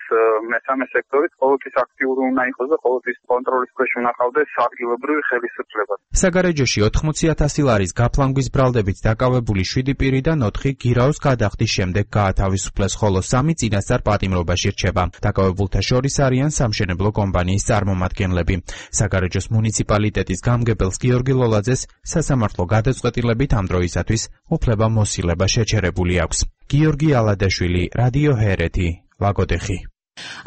მესამე სექტორიც ყოველთვის აქტიური უნდა იყოს და ყოველთვის კონტროლის ქვეშ უნდა ყავდეს ადგილობრივი ხელისუფლება. საგარეჯოში 80,000 ლარის გაფლანგვის ბრალდებით დაკავებული 7 პირიდან 4 გირაოს გადახდის შემდეგ გაათავისუფლეს, ხოლო 3 წინასწარ პატიმრობაში რჩება. დაკავებულთა შორის არიან სამშენებლო კომპანიის წარმომადგენლები. საგარეჯოს მუნიციპალიტეტის გამგებელს გიორგი ლოლაძეს სასამართლო გადაწყვეტილებით ამ დროისათვის უფლება მოსილება შეჩერებული აქვს. გიორგი ალადაშვილი, რადიო ჰერეთი, ლაგოდეხი.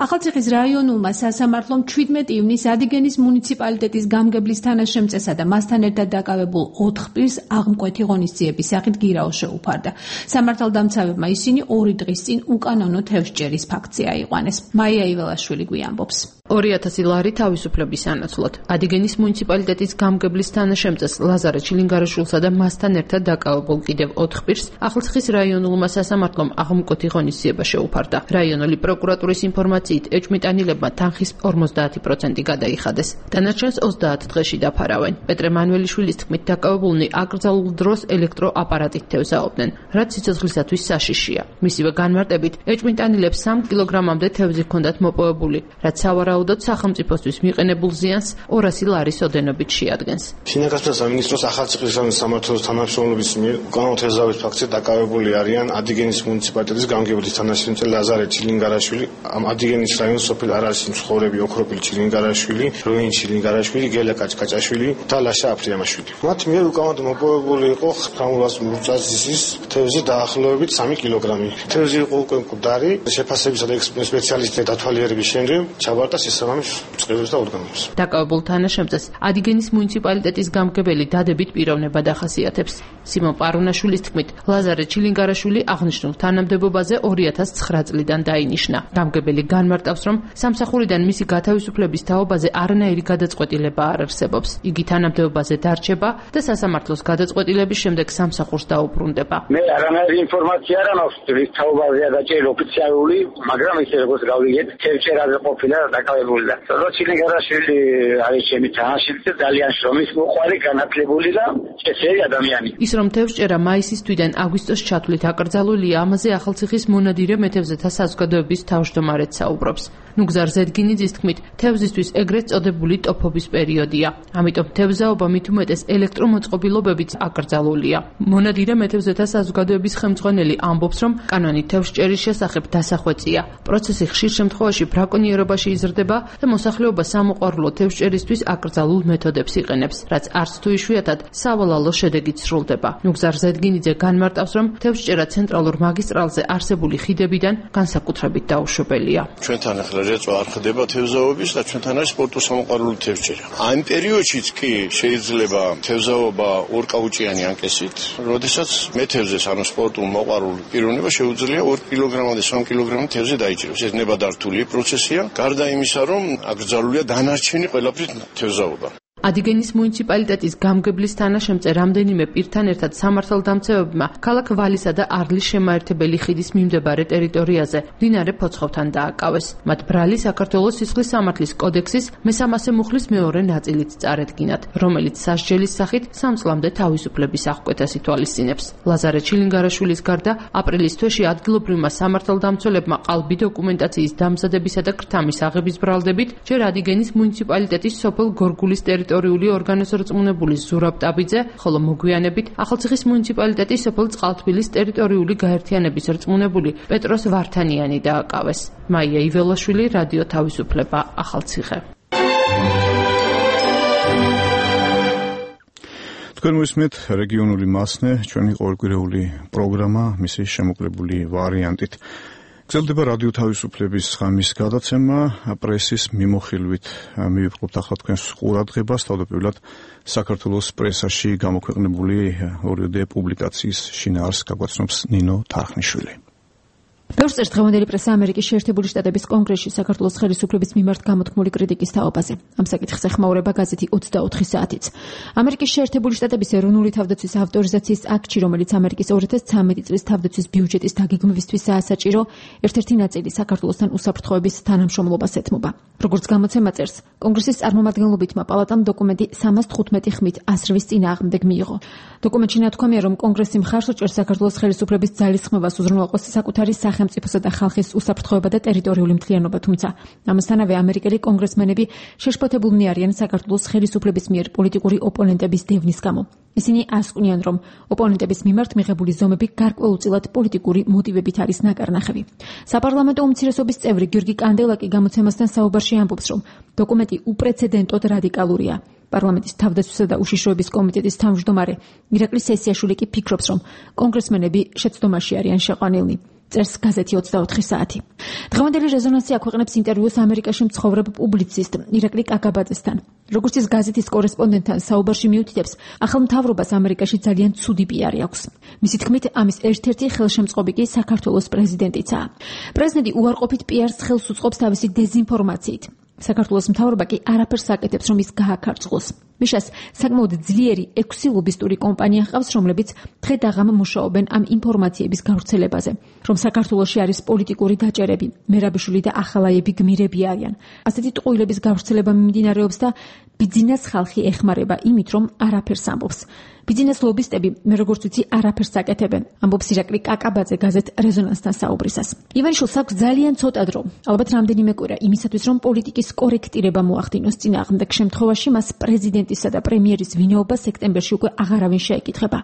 ახალციხის რაიონულმა სასამართლომ 17 ივნისს ადიგენის მუნიციპალიტეტის გამგებლის თანაშემწესა და მასთან ერთად დაკავებულ 4 პირს აღმკვეთი ღონისძიების სახით გირაო შეუფარდა. სამართალდამცავებმა ისინი 2 დღის წინ უკანონო თევზჭერის ფაქტზე აიყვანეს. მაია იველაშვილი გვიამბობს. 2000 ლარი თავისუფლების სანაცვლოდ ადიგენის მუნიციპალიტეტის გამგებლის თანაშემწეს ლაზარე ჩილინგარაშვილსა და მასთან ერთად დაკავებულ კიდევ 4 პირს ახალციხის რაიონულმა სასამართლომ აღმკვეთი ღონისძიება შეუფარდა. რაიონული პროკურატურის ინფორმაციით ეჭვმიტანილებმა თანხის 50% გადაიხადეს. დანარჩენს 30 დღეში დაფარავენ. პეტრე მანველიშვილის თქმით, დაკავებულნი აკრძალულ დროს ელექტროაპარატით თევზაობდნენ, რაც სიცოცხლისათვის საშიშია. მისივე განმარტებით, ეჭვმიტანილებს 3 კილოგრამამდე თევზი ჰქონდათ მოპოვებული, რაც სავარაუდოდ სახელმწიფოსთვის მიყენებულ ზიანს 200 ლარის ოდენობით შეადგენს. შინაგანთა სამინისტროს ახალციხის რაიონის სამართლის თანამშრომლობის მიერ უკანონო თევზაობის ფაქტზე დაკავებული არიან ადიგენის მუნიციპალიტეტის გამგებლის თანაშემწე ლაზარე ჩილინგარაშვილი, ადიგენის რაიონის სოფელ არარსის მცხოვრები ოქროპილი ჩილინგარაშვილი, როინ ჩილინგარაშვილი, გელა კაჭკაჭაშვილი და ლაშა აფრიამაშვილი. მათ მიერ უკანონოდ მოპოვებული იყო ხრამულას მურწაზისის თევზი დაახლოებით 3 კილოგრამი. თევზი იყო უკვე მკვდარი, შეფასებისა და სპეციალისტთა დათვალიერების შემდეგ ჩაბარდა შესაბამის წყებებს და ორგანოებს. დაკავებულ თანაშემწეს ადიგენის მუნიციპალიტეტის გამგებელი დადებით პიროვნება დახასიათებს. სიმონ პარუნაშვილის თქმით, ლაზარე ჩილინგარაშვილი აღნიშნულ თანამდებობაზე 2009 წლიდან დაინიშნა. გამგებელი განმარტავს, რომ სამსახურიდან მისი გათავისუფლების თაობაზე არანაირი გადაწყვეტილება არ არსებობს. იგი თანამდებობაზე დარჩება და სასამართლოს გადაწყვეტილების შემდეგ სამსახურს დაუბრუნდება. მე არანაირი ინფორმაცია არ მაქვს, რის თაობაზეა დაჭერილი ოფიციალური, მაგრამ ისე როგორც გავიგეთ, თევზჭერაზე ყოფილა დაკავებული და ჩილინგარაშვილი არის ჩემი თანაშემწე, ძალიან შრომის მოყვარე, განათლებული და წესიერი ადამიანი. ის რომ თევზჭერა მაისის თვიდან აგვისტოს ჩათვლით აკრძალულია, ამაზე ახალციხის მონადირე მეთევზეთა საზოგადოების თავმჯდომარედ საუბრობს. ნუგზარ ზედგინიძის თქმით, თევზისთვის ეგრეთ წოდებული ტოფობის პერიოდია. ამიტომ თევზაობა მით უმეტეს ელექტრომოწყობილობებით აკრძალულია. მონადირე მეთევზეთა საზოგადოების ხელმძღვანელი ამბობს, რომ კანონი თევზჭერის შესახებ დასახვეწია. პროცესი ხშირ შემთხვევაში ბრაკონიერობაში იზრდება და მოსახლეობა სამოყვარულო თევზჭერისთვის აკრძალულ მეთოდებს იყენებს, რაც არც თუ იშვიათად სავალალო შედეგით სრულდება. ნუგზარ ზედგინიძე განმარტავს, რომ თევზჭერა ცენტრალურ მაგისტრალზე არსებული ხიდებიდან განსაკუთრებით დაუშვებელია. ჩვენთან ახლა რეწვა არ ხდება თევზაობის და ჩვენთან არის სპორტო-სამოყვარულო თევზჭერა. ამ პერიოდშიც კი შეიძლება თევზაობა ორკაუჭიანი ანკესით, როდესაც მეთევზეს, ანუ სპორტულ მოყვარულ პიროვნება შეუძლია 2 კილოგრამამდე 3 კილოგრამი თევზი დაიჭიროს. ეს ნებადართული პროცესია, გარდა იმისა, რომ აკრძალულია დანარჩენი ყველაფრით თევზაობა. ადიგენის მუნიციპალიტეტის გამგებლის თანაშემწე რამდენიმე პირთან ერთად სამართალდამცავებმა ქალაქ ვალისა და არლის შემაერთებელი ხიდის მიმდებარე ტერიტორიაზე მდინარე ფოცხოვთან დააკავეს. მათ ბრალი საქართველოს სისხლის სამართლის კოდექსის მე-300 მუხლის მეორე ნაწილით წარედგინათ, რომელიც სასჯელის სახით 3 წლამდე თავისუფლების აღკვეთას ითვალისწინებს. ლაზარე ჩილინგარაშვილის გარდა აპრილის თვეში ადგილობრივმა სამართალდამცველებმა ყალბი დოკუმენტაციის დამზადებისა და ქრთამის აღების ბრალდებით ჯერ ადიგენის მუნიციპალიტეტის სოფელ გორგულის ტერიტორიული ორგანოს რწმუნებული ზურაბ ტაბიძე, ხოლო მოგვიანებით ახალციხის მუნიციპალიტეტის სოფელ წყალთბილის ტერიტორიული გაერთიანების რწმუნებული პეტროს ვართანიანი დააკავეს. მაია იველაშვილი, რადიო თავისუფლება, ახალციხე. თქვენ მოისმენთ რეგიონული მასნე, ჩვენი ყოველკვირეული პროგრამა, მისი შემოკლებული ვარიანტით. გრძელდება რადიო თავისუფლების ღამის გადაცემა, პრესის მიმოხილვით მივიწყობთ ახლა თქვენს ყურადღებას, თავდაპირველად საქართველოს პრესაში გამოქვეყნებული ორიოდე პუბლიკაციის შინაარსს გაგვაცნობს ნინო თარხნიშვილი. ბევრს წერს დღევანდელი პრესა ამერიკის შეერთებული შტატების კონგრესში საქართველოს ხელისუფლების მიმართ გამოთქმული კრიტიკის თაობაზე. ამ საკითხს ეხმაურება გაზეთი 24 საათიც. ამერიკის შეერთებული შტატების ეროვნული თავდაცვის ავტორიზაციის აქტში, რომელიც ამერიკის 2013 წლის თავდაცვის ბიუჯეტის დაგეგმვისთვისაა საჭირო, ერთ-ერთი ნაწილი საქართველოსთან უსაფრთხოების თანამშრომლობას ეთმობა. როგორც გამოცემა წერს, კონგრესის წარმომადგენლობითმა პალატამ დოკუმენტი 315 ხმით ასრვის წინააღმდეგ მიიღო. დოკუმენტში ნათქვამია, რომ კონგრესი მხარს უჭერს საქართველოს ხელისუფლების ძალისხმევას უზრუნველყოს საკუთარი სახელმწიფოსა და ხალხის უსაფრთხოება და ტერიტორიული მთლიანობა, თუმცა ამასთანავე ამერიკელი კონგრესმენები შეშფოთებულნი არიან საქართველოს ხელისუფლების მიერ პოლიტიკური ოპონენტების დევნის გამო. ისინი ასკვნიან, რომ ოპონენტების მიმართ მიღებული ზომები გარკვეულწილად პოლიტიკური მოტივებით არის ნაკარნახევი. საპარლამენტო უმცირესობის წევრი გიორგი კანდელაკი გამოცემასთან საუბარში ამბობს, რომ დოკუმენტი უპრეცედენტოდ რადიკალურია. პარლამენტის თავდაცვისა და უშიშროების კომიტეტის თავმჯდომარე ირაკლი სესიაშვილი კი ფიქრობს, რომ კონგრესმენები შეცდომაში არიან შეყვანილნი. წერს გაზეთი 24 საათი. დღევანდელი რეზონანსი აქვეყნებს ინტერვიუს ამერიკაში მცხოვრებ პუბლიცისტ ირაკლი კაკაბაძესთან. როგორც ის გაზეთის კორესპონდენტთან საუბარში მიუთითებს, ახალ მთავრობას ამერიკაში ძალიან ცუდი პიარი აქვს. მისი თქმით, ამის ერთ-ერთი ხელშემწყობი კი საქართველოს პრეზიდენტიცაა. პრეზიდენტი უარყოფით პიარს ხელს უწყობს თავისი დეზინფორმაციით. საქართველოს მთავრობა კი არაფერს აკეთებს, რომ ის გააქარწყოს. მიშას საკმაოდ ძლიერი 6 ლობისტური კომპანია ჰყავს, რომლებიც დღე და ღამე მუშაობენ ამ ინფორმაციების გავრცელებაზე, რომ საქართველოში არის პოლიტიკური დაჭერები, მერაბიშვილი და ახალაიები გმირები არიან. ასეთი ტყუილების გავრცელება მიმდინარეობს და ბიძინას ხალხი ეხმარება იმით, რომ არაფერს ამბობს. ბიძინას ლობისტები, მე როგორც ვიცი, არაფერს აკეთებენ, ამბობს ირაკლი კაკაბაძე გაზეთ რეზონანსთან საუბრისას. ივანიშვილს აქვს ძალიან ცოტა დრო, ალბათ რამდენიმე კვირა იმისათვის, რომ პოლიტიკის კორექტირება მოახდინოს წინააღმდეგ შემთხვევაში მას პრეზიდენტისა და პრემიერის ვინაობა სექტემბერში უკვე აღარავინ შეეკითხება.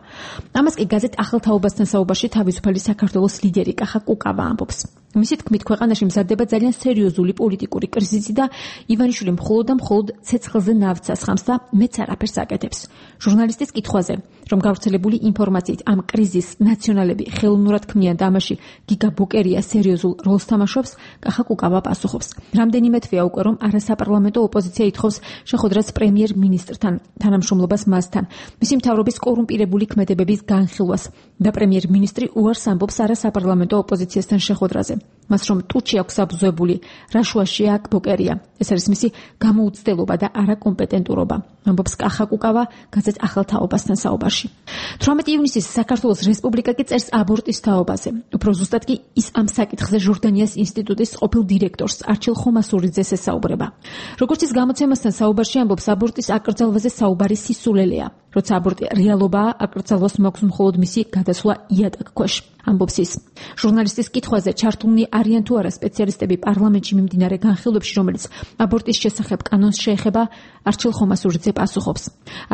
ამას კი გაზეთ ახალ თაობასთან საუბარში თავისუფალი საქართველოს ლიდერი კახა კუკავა ამბობს. მისი თქმით, ქვეყანაში მზადდება ძალიან სერიოზული პოლიტიკური კრიზისი და ივანიშვილი მხოლოდ და მხოლოდ ცეცხლზე ნავთსას ხამს და მეც არაფერს აკეთებს. ჟურნალისტის კითხვაზე, რომ გავრცელებული ინფორმაციით ამ კრიზისს ნაციონალები ხელოვნურად ქმნიან და ამაში გიგა ბოკერია სერიოზულ როლს თამაშობს, კახა კუკავა პასუხობს. რამდენიმე თვეა უკვე, რომ არასაპარლამენტო ოპოზიცია ითხოვს შეხვედრას პრემიერ-მინისტრთან, თანამშრომლობას მასთან, მისი მთავრობის კორუმპირებული ქმედებების განხილვას და პრემიერ-მინისტრი უარს ამბობს არასაპარლამენტო ოპოზიციასთან შეხვედრაზე. მას რომ ტუჩი აქვს აბზოებული, რაშუაშია აქ ბოკერია. ეს არის მისი გამოუცდელობა და არაკომპეტენტურობა, ამბობს კახა კუკავა გაზეთ ახალ თაობასთან საუბარში. 18 ივნისის საქართველოს რესპუბლიკა კი წერს აბორტის თაობაზე. უფრო ზუსტად კი ის ამ საკითხზე ჟორდანიას ინსტიტუტის ყოფილ დირექტორს არჩილ ხომასურიძეს ესაუბრება. როგორც ის გამოცემასთან საუბარში ამბობს, აბორტის აკრძალვაზე საუბარი სისულელეა. როცა აბორტი რეალობაა, აკრძალვას მაქვს მხოლოდ მისი გადასვლა იატაკ ქვეშ. ამბობს ის. ჟურნალისტის კითხვაზე, ჩართულნი არიან თუ არა სპეციალისტები პარლამენტში მიმდინარე განხილვებში, რომელიც აბორტის შესახებ კანონს შეეხება, არჩილ ხომასურიძე პასუხობს.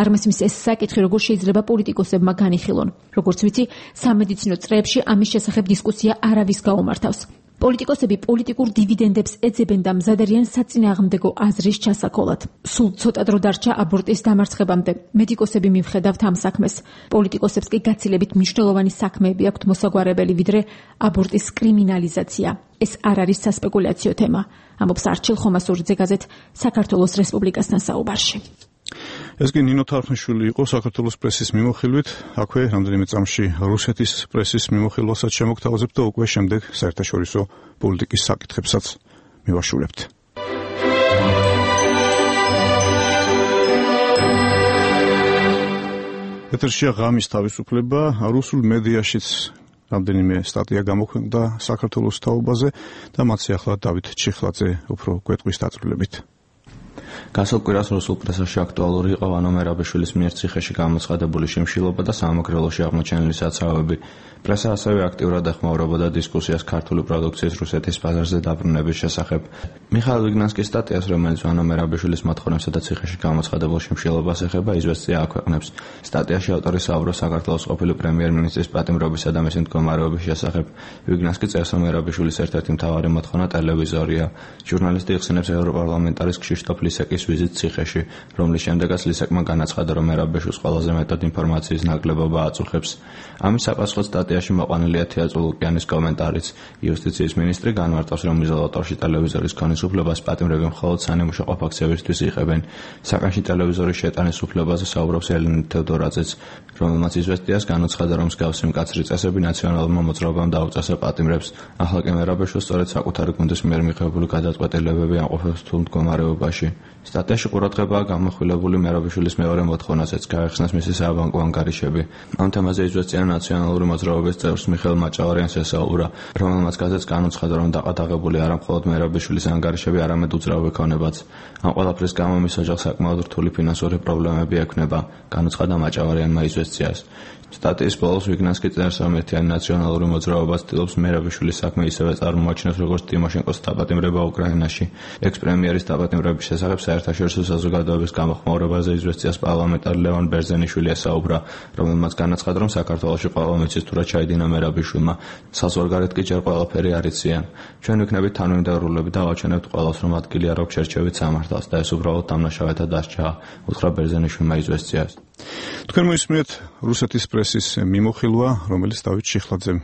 არმასიმის ეს საკითხი როგორ შეიძლება პოლიტიკოსებმა განიხილონ. როგორც ვიცი, სამედიცინო წრეებში ამის შესახებ დისკუსია არავის გაუმართავს. პოლიტიკოსები პოლიტიკურ დივიდენდებს ეძებენ და მზად არიან საწინააღმდეგო აზრის ჩასაქოლად. სულ ცოტა დრო დარჩა აბორტის დამარცხებამდე. მედიკოსები მივხედავთ ამ საქმეს. პოლიტიკოსებს კი გაცილებით მნიშვნელოვანი საქმეები აქვთ მოსაგვარებელი, ვიდრე აბორტის კრიმინალიზაცია. ეს არ არის სასპეკულაციო თემა, ამბობს არჩილ ხომასურიძე გაზეთ საქართველოს რესპუბლიკასთან საუბარში. ეს კი ნინო თარხნიშვილი იყო საქართველოს პრესის მიმოხილვით. აქვე რამდენიმე წამში რუსეთის პრესის მიმოხილვასაც შემოგთავაზებთ და უკვე შემდეგ საერთაშორისო პოლიტიკის საკითხებსაც მივაშულებთ. ეთერშია ღამის თავისუფლება, რუსულ მედიაშიც რამდენიმე სტატია გამოქვეყნდა საქართველოს თაობაზე და მათი ახლა დავით ჩიხლაძე უფრო გვეტყვის დაწვრილებით. გასულ კვირას რუსულ პრესაში აქტუალური იყო ვანო მერაბიშვილის მიერ ციხეში გამოცხადებული შიმშილობა და სამაგრელოში აღმოჩენილი საცავები. პრესა ასევე აქტიურად ეხმაურებოდა დისკუსიას ქართული პროდუქციის რუსეთის ბაზარზე დაბრუნების შესახებ. მიხაილ ვიგნანსკის სტატიას, რომელიც ვანო მერაბიშვილის მოთხოვნებსა და ციხეში გამოცხადებულ შიმშილობას ეხება, იზვესტია აქვეყნებს. სტატიაში ავტორი საუბრობს საქართველოს ყოფილი პრემიერ-მინისტრის პატიმრობისა და მისი მდგომარეობის შესახებ. ვიგნანსკი წერს, რომ მერაბიშვილის ერთ-ერთი მთავარი მოთხოვნა ტელევიზორია. ჟურნალისტი იხსენებს ევროპარლამენტარის ქშიშტოფ ლისეკის ვიზიტ ციხეში, რომლის შემდეგაც ლისეკმა განაცხადა, რომ მერაბიშვილს ყველაზე მეტად ინფორმაციის ნაკლებობა აწუხებს. ამის საპასუხოდ სტატიაში მოყვანილია თეატრო ლუკიანის კომენტარიც. იუსტიციის მინისტრი განმარტავს, რომ იზოლატორში ტელევიზორის ქონის უფლებას პატიმრები მხოლოდ სანიმუშო ფაქციებისთვის იღებენ. საკანში ტელევიზორის შეტანის უფლებაზე საუბრობს ელენე თევდორაძეც, რომელმაც იზვესტიას განუცხადა, რომ მსგავსი მკაცრი წესები ნაციონალურმა მოძრაობამ დაუწესა პატიმრებს. ახლა კი მერაბიშვილს სწორედ საკუთარი გუნდის მიერ მიღებული გადაწყვეტილებები ამყოფებს რთულ მდგომარეობაში. სტატიაში ყურადღებაა გამოხვილებული მერაბიშვილის მეორე მოთხოვნასაც, გაეხსნას მისი საბანკო ანგარიშები. ამ თემაზე იზვესტია ნაციონალური მოძრაობის წევრს მიხეილ მაჭავარიანს ესაუბრა, რომელმაც გაზეთს განუცხადა, რომ დაყადაღებული არა მხოლოდ მერაბიშვილის ანგარიშები, არამედ უძრავი ქონებაც. ამ ყველაფრის გამო მის ოჯახს საკმაოდ რთული ფინანსური პრობლემები ექნება, განუცხადა მაჭავარიანმა იზვესტიას. სტატიის ბოლოს ვიგნანსკი წერს, რომ ერთიანი ნაციონალური მოძრაობა ცდილობს მერაბიშვილის საქმე ისევე წარმოაჩინოს, როგორც ტიმოშენკოს დაპატიმრება უკრაინაში. ექს-პრემიერის დაპატიმრების შესახებ საერთაშორისო საზოგადოების გამოხმაურებაზე იზვესტიას პარლამენტარი ლევან ბერძენიშვილი ესაუბრა, რომელმაც განაცხადა, რომ საქართველოში ყველა მიცის თუ რა ჩაიდინა მერაბიშვილმა. საზღვარგარეთ კი ჯერ ყველაფერი არ იციან. ჩვენ ვიქნებით თანმიმდევრულები და ავაჩვენებთ ყველას, რომ ადგილი არ აქვს შერჩევით სამართალს და ეს უბრალოდ დამნაშავეთა დასჯაა, უთხრა ბერძენიშვილმა იზვესტიას. თქვენ მოისმენთ რუსეთის პრესის მიმოხილვა, რომელიც დავით ჩიხლაძემ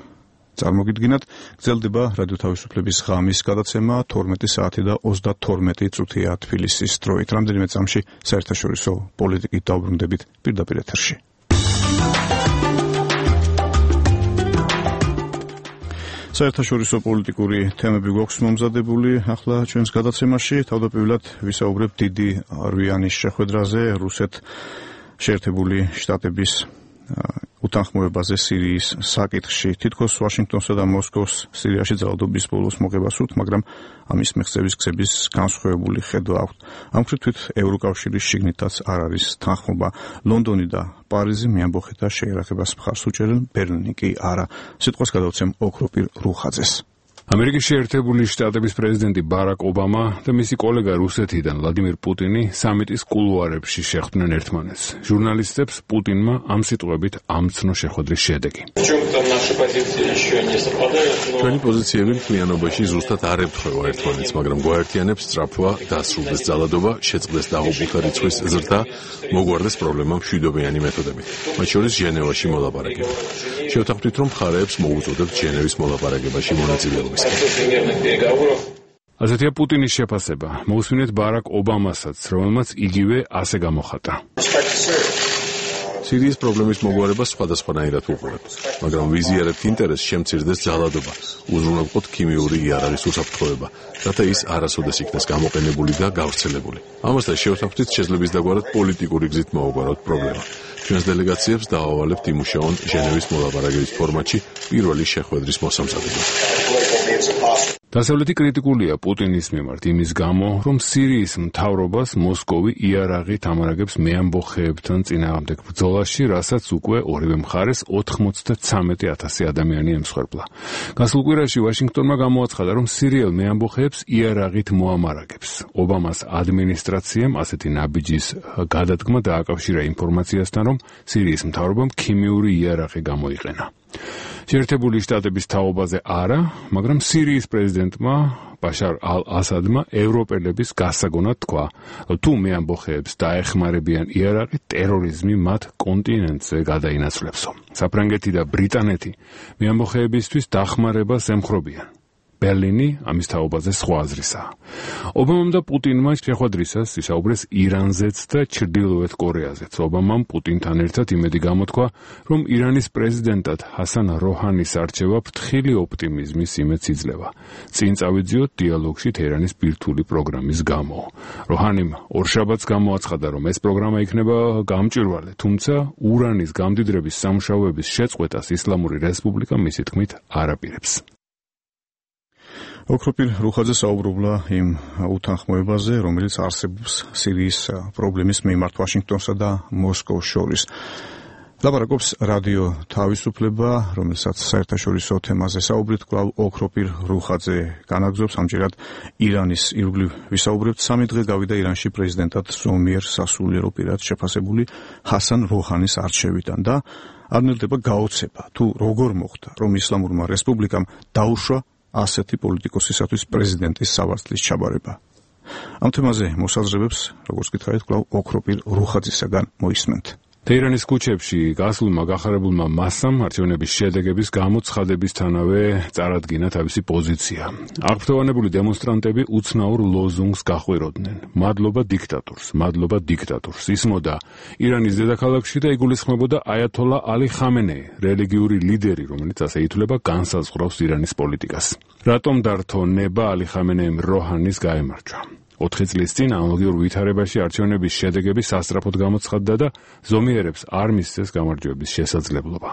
წარმოგიდგინათ. გრძელდება რადიო თავისუფლების ღამის გადაცემა 12 საათი და 32 წუთია თბილისის დროით. რამდენიმე წამში საერთაშორისო პოლიტიკით დავბრუნდებით პირდაპირ ეთერში. საერთაშორისო პოლიტიკური თემები გვაქვს მომზადებული ახლა ჩვენს გადაცემაში. თავდაპირველად ვისაუბრებთ დიდი რვიანის შეხვედრაზე რუსეთ-შეერთებული შტატების უთანხმოებაზე სირიის საკითხში. თითქოს ვაშინგტონსა და მოსკოვს სირიაში ძალადობის ბოლოს მოღება სურთ, მაგრამ ამის მიღწევის გზების განსხვავებული ხედვა აქვს. ამ მხრივ ევროკავშირის შიგნითაც არ არის თანხმობა. ლონდონი და პარიზი მეამბოხეთა შეერახებას მხარს უჭერენ, ბერლინი კი არა. სიტყვას გადავცემ ოქროპირ რუხაძეს. ამერიკის შეერთებული შტატების პრეზიდენტი ბარაკ ობამა და მისი კოლეგა რუსეთიდან ვლადიმირ პუტინი სამიტის კულუარებში შეხვდნენ ერთმანეთს. ჟურნალისტებს პუტინმა ამ სიტყვებით ამცნო შეხვედრის შედეგი. ჩვენი პოზიციები მთლიანობაში ზუსტად არ ემთხვევა ერთმანეთს, მაგრამ გვაერთიანებს სწრაფვა, დასრულდეს ძალადობა, შეწყდეს დაღუპულთა რიცხვის ზრდა, მოგვარდეს პრობლემა მშვიდობიანი მეთოდებით, მათ შორის ჟენევაში მოლაპარაკება. შევთანხმდით, რომ მხარეებს მოუწოდებთ ჟენევის მოლაპარაკებაში მონაწილეობა. ასეთია პუტინის შეფასება. მოусმინეთ ბარაკ ობამასაც, რომელმაც იგივე ასე გამოხატა. სირიის პრობლემის მოგვარებას სხვადასხვანაირად უყურებთ, მაგრამ ვიზიარებთ ინტერესს შემცირდეს ძალადობა, უზრუნველყოთ ქიმიური იარაღის უსაფრთხოება, რათა ის არასოდეს იქნას გამოყენებული და გავრცელებული. ამასთან შევთანხმდით შეძლების დაგვარად პოლიტიკური გზით მოუგვაროთ პრობლემა. ჩვენს დელეგაციებს დავავალებთ იმუშაონ ჟენევის მოლაპარაკების ფორმატში პირველი შეხვედრის მოსამზადებლად. დასავლეთი კრიტიკულია პუტინის მიმართ იმის გამო, რომ სირიის მთავრობას მოსკოვი იარაღით ამარაგებს მეამბოხეებთან წინააღმდეგ ბრძოლაში, რასაც უკვე ორივე მხარეს 93,000 ადამიანი ემსხვერპლა. გასულ კვირაში ვაშინგტონმა გამოაცხადა, რომ სირიელ მეამბოხეებს იარაღით მოამარაგებს. ობამას ადმინისტრაციამ ასეთი ნაბიჯის გადადგმა დააკავშირა ინფორმაციასთან, რომ სირიის მთავრობამ ქიმიური იარაღი გამოიყენა. შეერთებული შტატების თაობაზე არა, მაგრამ სირიის პრეზიდენტმა ბაშარ ალ-ასადმა ევროპელების გასაგონად თქვა, თუ მეამბოხეებს დაეხმარებიან იარაღი, ტერორიზმი მათ კონტინენტზე გადაინაცვლებსო. საფრანგეთი და ბრიტანეთი მეამბოხეებისთვის დახმარებას ემხრობიან. ბერლინი ამის თაობაზე სხვა აზრისაა. ობამამ და პუტინმა შეხვედრისას ისაუბრეს ირანზეც და ჩრდილოეთ კორეაზეც. ობამამ პუტინთან ერთად იმედი გამოთქვა, რომ ირანის პრეზიდენტად ჰასან როჰანის არჩევა ფრთხილი ოპტიმიზმის იმედს იძლევა. წინ წავიძიოთ დიალოგში თეირანის ბირთვული პროგრამის გამო. როჰანიმ ორშაბათს გამოაცხადა, რომ ეს პროგრამა იქნება გამჭვირვალე, თუმცა ურანის გამდიდრების სამუშაოების შეწყვეტას ისლამური რესპუბლიკა მისი თქმით არ აპირებს. ოქროპირ რუხაძე საუბრობდა იმ უთანხმოებაზე, რომელიც არსებობს სირიის პრობლემის მიმართ ვაშინგტონსა და მოსკოვს შორის. ლაპარაკობს რადიო თავისუფლება, რომელსაც საერთაშორისო თემაზე საუბრით, კვლავ ოქროპირ რუხაძე განაგრძობს. ამჯერად ირანის ირგვლივ ვისაუბრებთ. 3 დღე გავიდა ირანში პრეზიდენტად ზომიერ სასულიერო პირად შეფასებული ჰასან როჰანის არჩევიდან და არ ნელდება გაოცება, თუ როგორ მოხდა, რომ ისლამურმა რესპუბლიკამ დაუშვა ასეთი პოლიტიკოსისათვის პრეზიდენტის სავარცხლის ჩაბარება. ამ თემაზე მოსაზრებებს, როგორც გითხარით, კვლავ ოქროპირ რუხაძისაგან მოისმენთ. თეირანის ქუჩებში გასულმა გახარებულმა მასამ არჩევნების შედეგების გამოცხადებისთანავე წარადგინა თავისი პოზიცია. აღფრთოვანებული დემონსტრანტები უცნაურ ლოზუნგს გახვიროდნენ. მადლობა დიქტატორს, მადლობა დიქტატორს. ისმოდა ირანის დედაქალაქში და იგულისხმებოდა აიათოლა ალი ხამენეი, რელიგიური ლიდერი, რომელიც ასე ითვლება განსაზღვრავს ირანის პოლიტიკას. რატომ დართო ნება ალი ხამენეიმ როჰანის გაემარჯვა? 4 წლის წინ ანალოგიურ ვითარებაში არჩევნების შედეგები სასწრაფოდ გამოცხადდა და ზომიერებს არ მისცეს გამარჯვების შესაძლებლობა.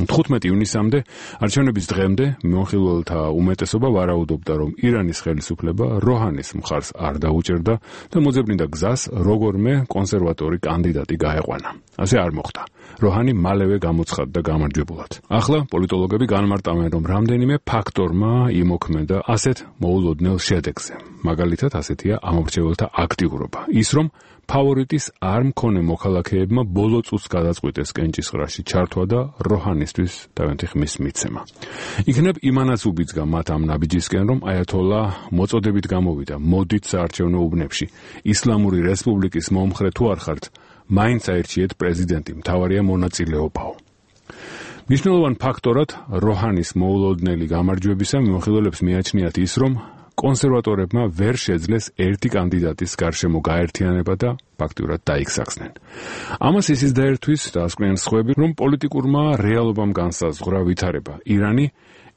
15 ივნისამდე არჩევნების დღემდე მონხილველთა უმეტესობა ვარაუდობდა, რომ ირანის ხელისუფლება როჰანის მხარს არ დაუჭერდა და მოძებნიდა გზას როგორმე კონსერვატორი კანდიდატი გაეყვანა. ასე არ მოხდა. როჰანი მალევე გამოცხადდა გამარჯვებულად. ახლა პოლიტოლოგები განმარტავენ, რომ რამდენიმე ფაქტორმა იმოქმედა ასეთ მოულოდნელ შედეგზე. მაგალითად, ასეთია ამორჩეველთა აქტიურობა. ის, რომ ფავორიტის არ მქონე მოქალაქეებმა ბოლო წუთს გადაწყვიტეს კენჭისყრაში ჩართვა და როჰანისთვის თავიანთი ხმის მიცემა. იქნებ იმანაც უბიძგა მათ ამ ნაბიჯისკენ, რომ აიათოლა მოწოდებით გამოვიდა, მოდით საარჩევნო უბნებში. ისლამური რესპუბლიკის მომხრე თუ არ ხართ, მაინც აირჩიეთ პრეზიდენტი, მთავარია მონაწილეობაო. მნიშვნელოვან ფაქტორად როჰანის მოულოდნელი გამარჯვებისა მიმოხილველებს მიაჩნიათ ის, რომ კონსერვატორებმა ვერ შეძლეს ერთი კანდიდატის გარშემო გაერთიანება და ფაქტიურად დაიქსახსნენ. ამას ისიც დაერთვის დაასკვნენ სხვები, რომ პოლიტიკურმა რეალობამ განსაზღვრა ვითარება. ირანი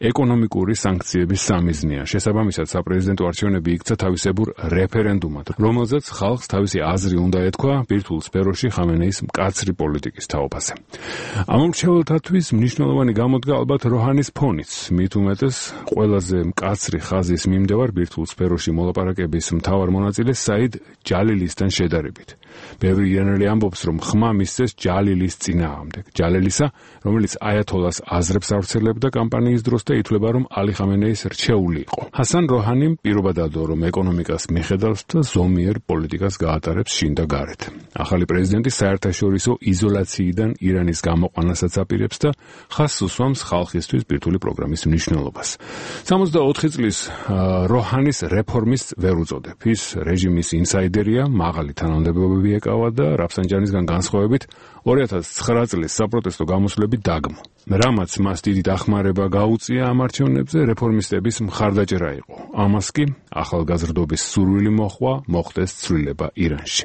ეკონომიკური სანქციების სამიზნეა. შესაბამისად, საპრეზიდენტო არჩევნები იქცა თავისებურ რეფერენდუმად, რომელზეც ხალხს თავისი აზრი უნდა ეთქვა ბირთვულ სფეროში ხამენეის მკაცრი პოლიტიკის თაობაზე. ამორჩეველთათვის მნიშვნელოვანი გამოდგა ალბათ როჰანის ფონიც. მით უმეტეს, ყველაზე მკაცრი ხაზის მიმდევარ ბირთვულ სფეროში მოლაპარაკების მთავარ მონაწილე საიდ ჯალილისთან შედარებით. ბევრი ირანელი ამბობს, რომ ხმა მისცეს ჯალილის წინააღმდეგ. ჯალილისა, რომელიც აიათოლას აზრებს ავრცელებდა კამპანიის დროს და ითვლება, რომ ალი ხამენეის რჩეული იყო. ჰასან როჰანიმ პირობა დადო, რომ ეკონომიკას მიხედავს და ზომიერ პოლიტიკას გაატარებს შინ და გარეთ. ახალი პრეზიდენტი საერთაშორისო იზოლაციიდან ირანის გამოყვანასაც აპირებს და ხაზს უსვამს ხალხისთვის ბირთვული პროგრამის მნიშვნელობას. 64 წლის როჰანის რეფორმის ვერ უწოდებ. ის რეჟიმის ინსაიდერია, მაღალი თანამდებობები ეკავა და რაფსანჯანისგან განსხვავებით 2009 წლის საპროტესტო გამოსვლები დაგმო. რამაც მას დიდი დახმარება გაუწია ამ არჩევნებზე, რეფორმისტების მხარდაჭერა იყო. ამას კი ახალგაზრდობის სურვილი მოჰყვა, მოხდეს ცვლილება ირანში.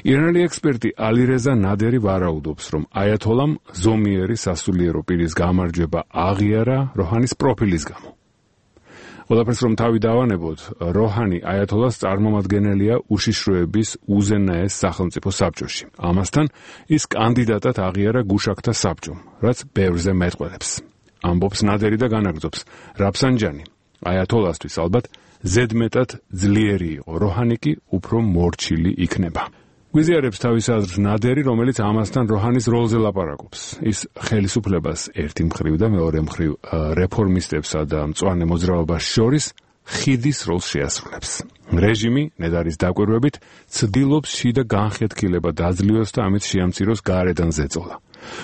ირანელი ექსპერტი ალირეზა ნადერი ვარაუდობს, რომ აიათოლამ ზომიერი სასულიერო პირის გამარჯვება აღიარა როჰანის პროფილის გამო. ყველაფერს რომ თავი დავანებოთ, როჰანი აიათოლას წარმომადგენელია უშიშროების უზენაეს სახელმწიფო საბჭოში. ამასთან ის კანდიდატად აღიარა გუშაქთა საბჭომ, რაც ბევრზე მეტყველებს. ამბობს ნადერი და განაგრძობს, რაფსანჯანი აიათოლასთვის ალბათ ზედმეტად ძლიერი იყო, როჰანი კი უფრო მორჩილი იქნება. გვიზიარებს თავის აზრს ნადერი, რომელიც ამასთან როჰანის როლზე ლაპარაკობს. ის ხელისუფლებას ერთი მხრივ და მეორე მხრივ რეფორმისტებსა და მწვანე მოძრაობას შორის ხიდის როლს შეასრულებს. რეჟიმი, ნედარის დაკვირვებით, ცდილობს შიდა განხეთქილება დაძლიოს და ამით შეამციროს გარედან ზეწოლა.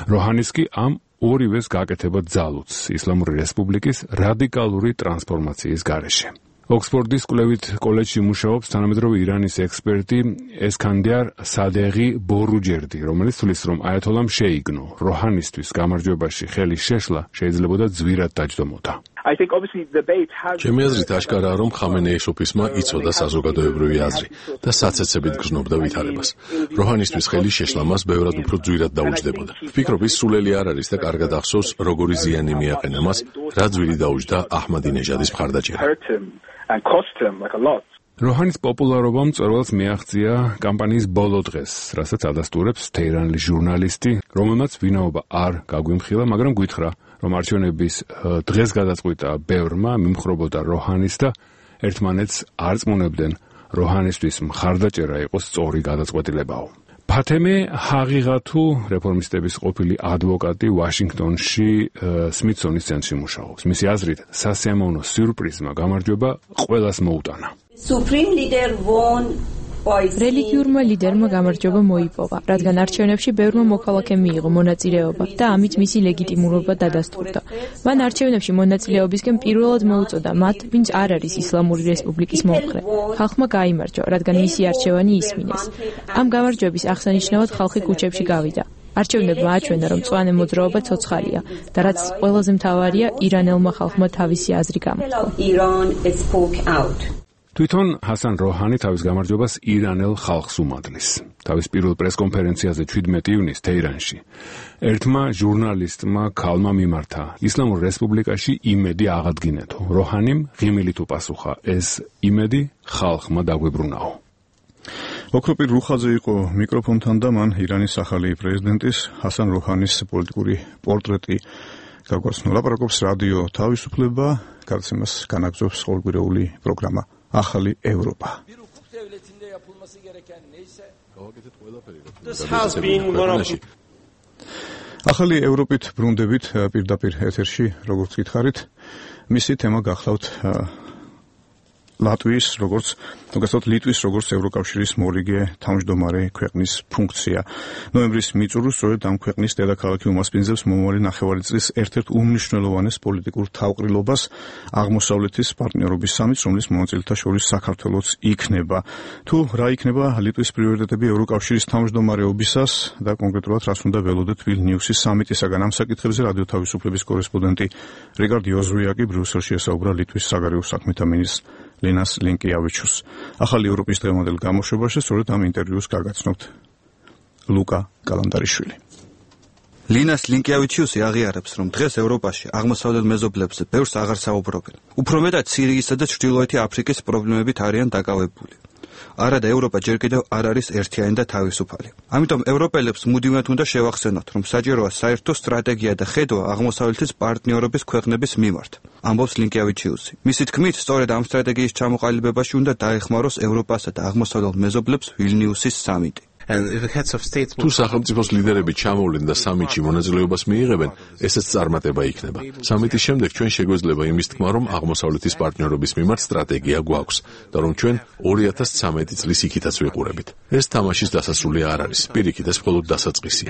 როჰანის კი ამ ორივეს გაკეთება ძალუძს ისლამური რესპუბლიკის რადიკალური ტრანსფორმაციის გარეშე. ოქსფორდის კვლევით კოლეჯში მუშაობს თანამედროვე ირანის ექსპერტი ესქანდიარ სადეღი ბორუჯერდი, რომელიც თვლის, რომ აიათოლამ შეიგნო როჰანისთვის გამარჯვებაში ხელის შეშლა შეიძლებოდა ძვირად დაჯდომოდა. ჩემი აზრით აღკარაა, რომ ხამენეის ოფისმა იცოდა საზოგადოებრივი აზრი და საცეცებით გრძნობდა ვითარებას. როჰანისთვის ხელის შეშლამას ბევრად უფრო ძვირად დაუჯდებოდა. ვფიქრობ, ის სულელი არ არის და კარგად ახსოვს, როგორი ზიანი მიაყენა მას, რა ძვირი დაუჯდა აჰმადინეჟადის მხარდაჭერა. როჰანის პოპულარობა მწვერვალს მიაღწია კამპანიის ბოლო დღეს, რასაც ადასტურებს თეირანლის ჟურნალისტი, რომელმაც ვინაობა არ გაგვიმხილა, მაგრამ გითხრა, რომ არჩევნების დღეს გადაწყვიტა ბევრმა მიმხრობოდა როჰანის და ერთმანეთს არ წმუნებდნენ როჰანისთვის მხარდაჭერა იყოს სწორი გადაწყვეტილებაო. ფათემე ჰაღიღათუ რეფორმისტების ყოფილი ადვოკატი ვაშინგტონში სმითსონის ცენტრში მუშაობს. მისი აზრით, სასიამოვნო სიურპრიზმა გამარჯვება ყველას მოუტანა. რელიგიურმა ლიდერმა გამარჯვება მოიპოვა, რადგან არჩევნებში ბევრმა მოქალაქემ მიიღო მონაწილეობა და ამით მისი ლეგიტიმურობა დადასტურდა. მან არჩევნებში მონაწილეობისკენ პირველად მოუწოდა მათ, ვინც არ არის ისლამური რესპუბლიკის მომხრე. ხალხმა გაიმარჯვა, რადგან მისი არჩევანი ისმინეს. ამ გამარჯვების აღსანიშნავად ხალხი ქუჩებში გავიდა. არჩევნებმა აჩვენა, რომ მწვანე მოძრაობა ცოცხალია და რაც ყველაზე მთავარია, ირანელმა ხალხმა თავისი აზრი გამოთქვა. თვითონ ჰასან როჰანი თავის გამარჯვებას ირანელ ხალხს უმადლის. თავის პირველ პრესკონფერენციაზე 17 ივნისს თეირანში ერთმა ჟურნალისტმა ქალმა მიმართა ისლამურ რესპუბლიკაში იმედი აღადგინეთო. როჰანიმ ღიმილით უპასუხა, ეს იმედი ხალხმა დაგვებრუნაო. ოქროპირ რუხაძე იყო მიკროფონთან და მან ირანის ახალი პრეზიდენტის ჰასან როჰანის პოლიტიკური პორტრეტი გაგვაცნო. ლაპარაკობს რადიო თავისუფლება, გარცემას განაგზობს ყოველკვირეული პროგრამა ახალი ევროპა. ახალი ევროპით ბრუნდებით პირდაპირ ეთერში, როგორც გითხარით, მისი თემა გახლავთ ლატვიის, ლიტვის როგორც ევროკავშირის მორიგე თავმჯდომარე ქვეყნის ფუნქცია. ნოემბრის მიწურულს სწორედ ამ ქვეყნის დედაქალაქი უმასპინძლებს მომავალი ნახევარი წლის ერთ-ერთ უმნიშვნელოვანეს პოლიტიკურ თავყრილობას აღმოსავლეთის პარტნიორობის სამიტს, რომლის მონაწილეთა შორის საქართველოც იქნება. თუ რა იქნება ლიტვის პრიორიტეტები ევროკავშირის თავმჯდომარეობისას და კონკრეტულად რას უნდა ველოდეთ ვილნიუსის სამიტისაგან, ამ საკითხებზე რადიო თავისუფლების კორესპონდენტი რიგარდ იოზვიაკი ბრიუსელში ესაუბრა ლიტვის საგარეო საქმეთა მინისტრს ლინას ლინკიავიჩუს. ახალი ევროპის დღევანდელ გამოშვებაში სწორედ ამ ინტერვიუს გაგაცნობთ ლუკა კალანდარიშვილი. ლინას ლინკიავიჩუსი აღიარებს, რომ დღეს ევროპაში აღმოსავლელ მეზობლებზე ბევრს აღარ საუბრობენ. უფრო მეტად სირიისა და ჩრდილოეთი აფრიკის პრობლემებით არიან დაკავებული. არადა ევროპა ჯერ კიდევ არ არის ერთიანი და თავისუფალი. ამიტომ ევროპელებს მუდმივად უნდა შევახსენოთ, რომ საჭიროა საერთო სტრატეგია და ხედვა აღმოსავლეთის პარტნიორობის ქვეყნების მიმართ. ამბობს ლინკიავიჩიუსი. მისი თქმით, სწორედ ამ სტრატეგიის ჩამოყალიბებაში უნდა დაეხმაროს ევროპასა და აღმოსავლელ მეზობლებს ვილნიუსის სამიტი. თუ სახელმწიფოს ლიდერები ჩამოვლენ და სამიტში მონაწილეობას მიიღებენ, ესეც წარმატება იქნება. სამიტის შემდეგ ჩვენ შეგვეძლება იმის თქმა, რომ აღმოსავლეთის პარტნიორობის მიმართ სტრატეგია გვაქვს და რომ ჩვენ 2013 წლის იქითაც ვიყურებით. ეს თამაშის დასასრული არ არის, პირიქით ეს მხოლოდ დასაწყისია.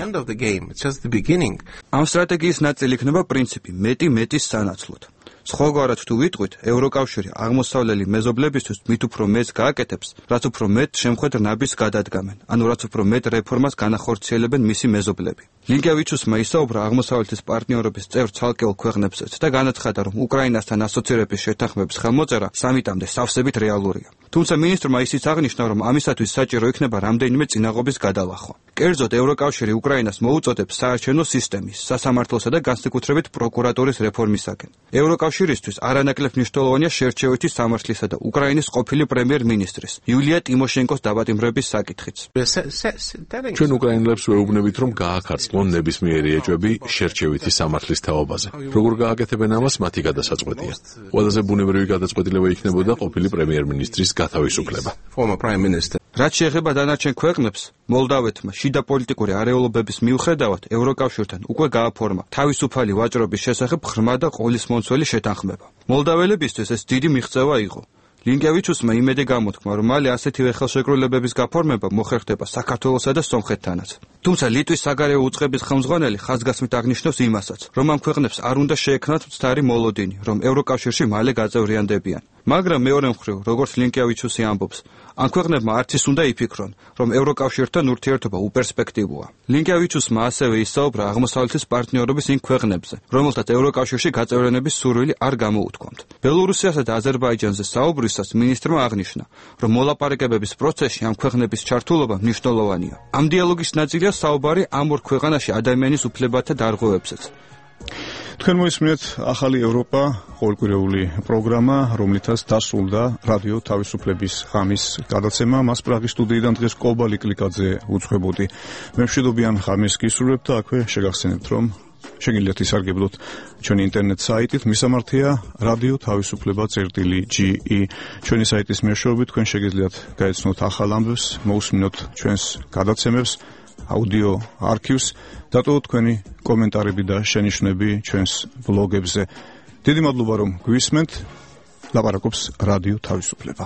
ამ სტრატეგიის ნაწილი იქნება პრინციპი მეტის სანაცვლოდ. სხვაგვარად თუ ვიტყვით, ევროკავშირი აღმოსავლელი მეზობლებისთვის მით უფრო მეტს გააკეთებს, რაც უფრო მეტ შემხედ ნაბის გადადგამენ, ანუ რაც უფრო მეტ რეფორმას განახორციელებენ მისი მეზობლები. ლინკიავიჩუსმა ისაუბრა აღმოსავლეთის პარტნიორობის წევრ ცალკეულ ქვეყნებსაც და განაცხადა, რომ უკრაინასთან ასოცირების შეთანხმების ხელმოწერა სამიტამდე სავსებით რეალურია. თუმცა მინისტრმა ისიც აღნიშნა, რომ ამისათვის საჭირო იქნება რამდენიმე წინაღობის გადალახვა. კერძოდ, ევროკავშირი უკრაინას მოუწოდებს საარჩევნო სისტემის, სასამართლოსა და განსაკუთრებით პროკურატურის რეფორმისაკენ. ევროკავშირისთვის არანაკლებ მნიშვნელოვანია შერჩევითი სამართლისა და უკრაინის ყოფილი პრემიერ-მინისტრის იულია ტიმოშენკოს დაბატიმრების საკითხიც. ჩვენ უკრაინელებს ვეუბნებით, რომ გააქარწყლონ ნებისმიერი ეჭვები შერჩევითი სამართლის თაობაზე. როგორ გააკეთებენ ამას, მათი გადასაწყვეტია. ყველაზე ბუნებრივი გადაწყვეტილება იქნებოდა ყოფილი პრემიერ-მინისტრის გათავისუფლება. რაც შეეხება დანარჩენ ქვეყნებს, მოლდავეთმა შიდა პოლიტიკური არეულობების მიუხედავად ევროკავშირთან უკვე გააფორმა თავისუფალი ვაჭრობის შესახებ ღრმა და ყოლისმომცველი შეთანხმება. მოლდაველებისთვის ეს დიდი მიღწევა იყო. ლინკიავიჩუსმა იმედი გამოთქმა, რომ მალე ასეთივე ხელშეკრულებების გაფორმება მოხერხდება საქართველოსა და სომხეთთანაც. თუმცა ლიტვის საგარეო უწყების ხელმძღვანელი ხაზგასმით აღნიშნავს იმასაც, რომ ამ ქვეყნებს არ უნდა შეექმნათ მცდარი მოლოდინი, რომ ევროკავშირში მალე გაწევრიანდებიან. მაგრამ მეორე მხრივ, როგორც ლინკევიჩუსი ამბობს, ამ ქვეყნებმა არც ის უნდა იფიქრონ, რომ ევროკავშირთან ურთიერთობა უპერსპექტივოა. ლინკევიჩუსმა ასევე ისაუბრა აღმოსავლეთის პარტნიორობის იმ ქვეყნებზე, რომელთაც ევროკავშირში გაწევრიანების სურვილი არ გამოუთქვამთ. ბელორუსიასა და აზერბაიჯანზე საუბრისას მინისტრმა აღნიშნა, რომ მოლაპარაკებების პროცესში ამ ქვეყნების ჩართულობა მნიშვნელოვანია. ამ დიალოგის ნაწილია საუბარი ამ ორ ქვეყანაში ადამიანის უფლებათა დარღვევებზეც. თქვენ მოისმინეთ ახალი ევროპა ყოველკვირეული პროგრამა, რომლითაც დასრულდა რადიო თავისუფლების ღამის გადაცემა. მას პრაღის სტუდიიდან დღეს კობალი კლიკაძე უძღვებოდი. მე მშვიდობიან ღამეს გისურვებთ და აქვე შეგახსენებთ, რომ შეგიძლიათ ისარგებლოთ ჩვენი ინტერნეტ საიტით, მისამართია რადიო თავისუფლება.ge. ჩვენი საიტის მეშვეობით თქვენ შეგიძლიათ გაეცნოთ ახალ ამბებს, მოусმინოთ ჩვენს გადაცემებს, აუდიო არქივს, დატოვოთ თქვენი კომენტარები და შენიშვნები ჩვენს ბლოგებზე. დიდი მადლობა რომ გვისმენთ. ლაპარაკობს რადიო თავისუფლება.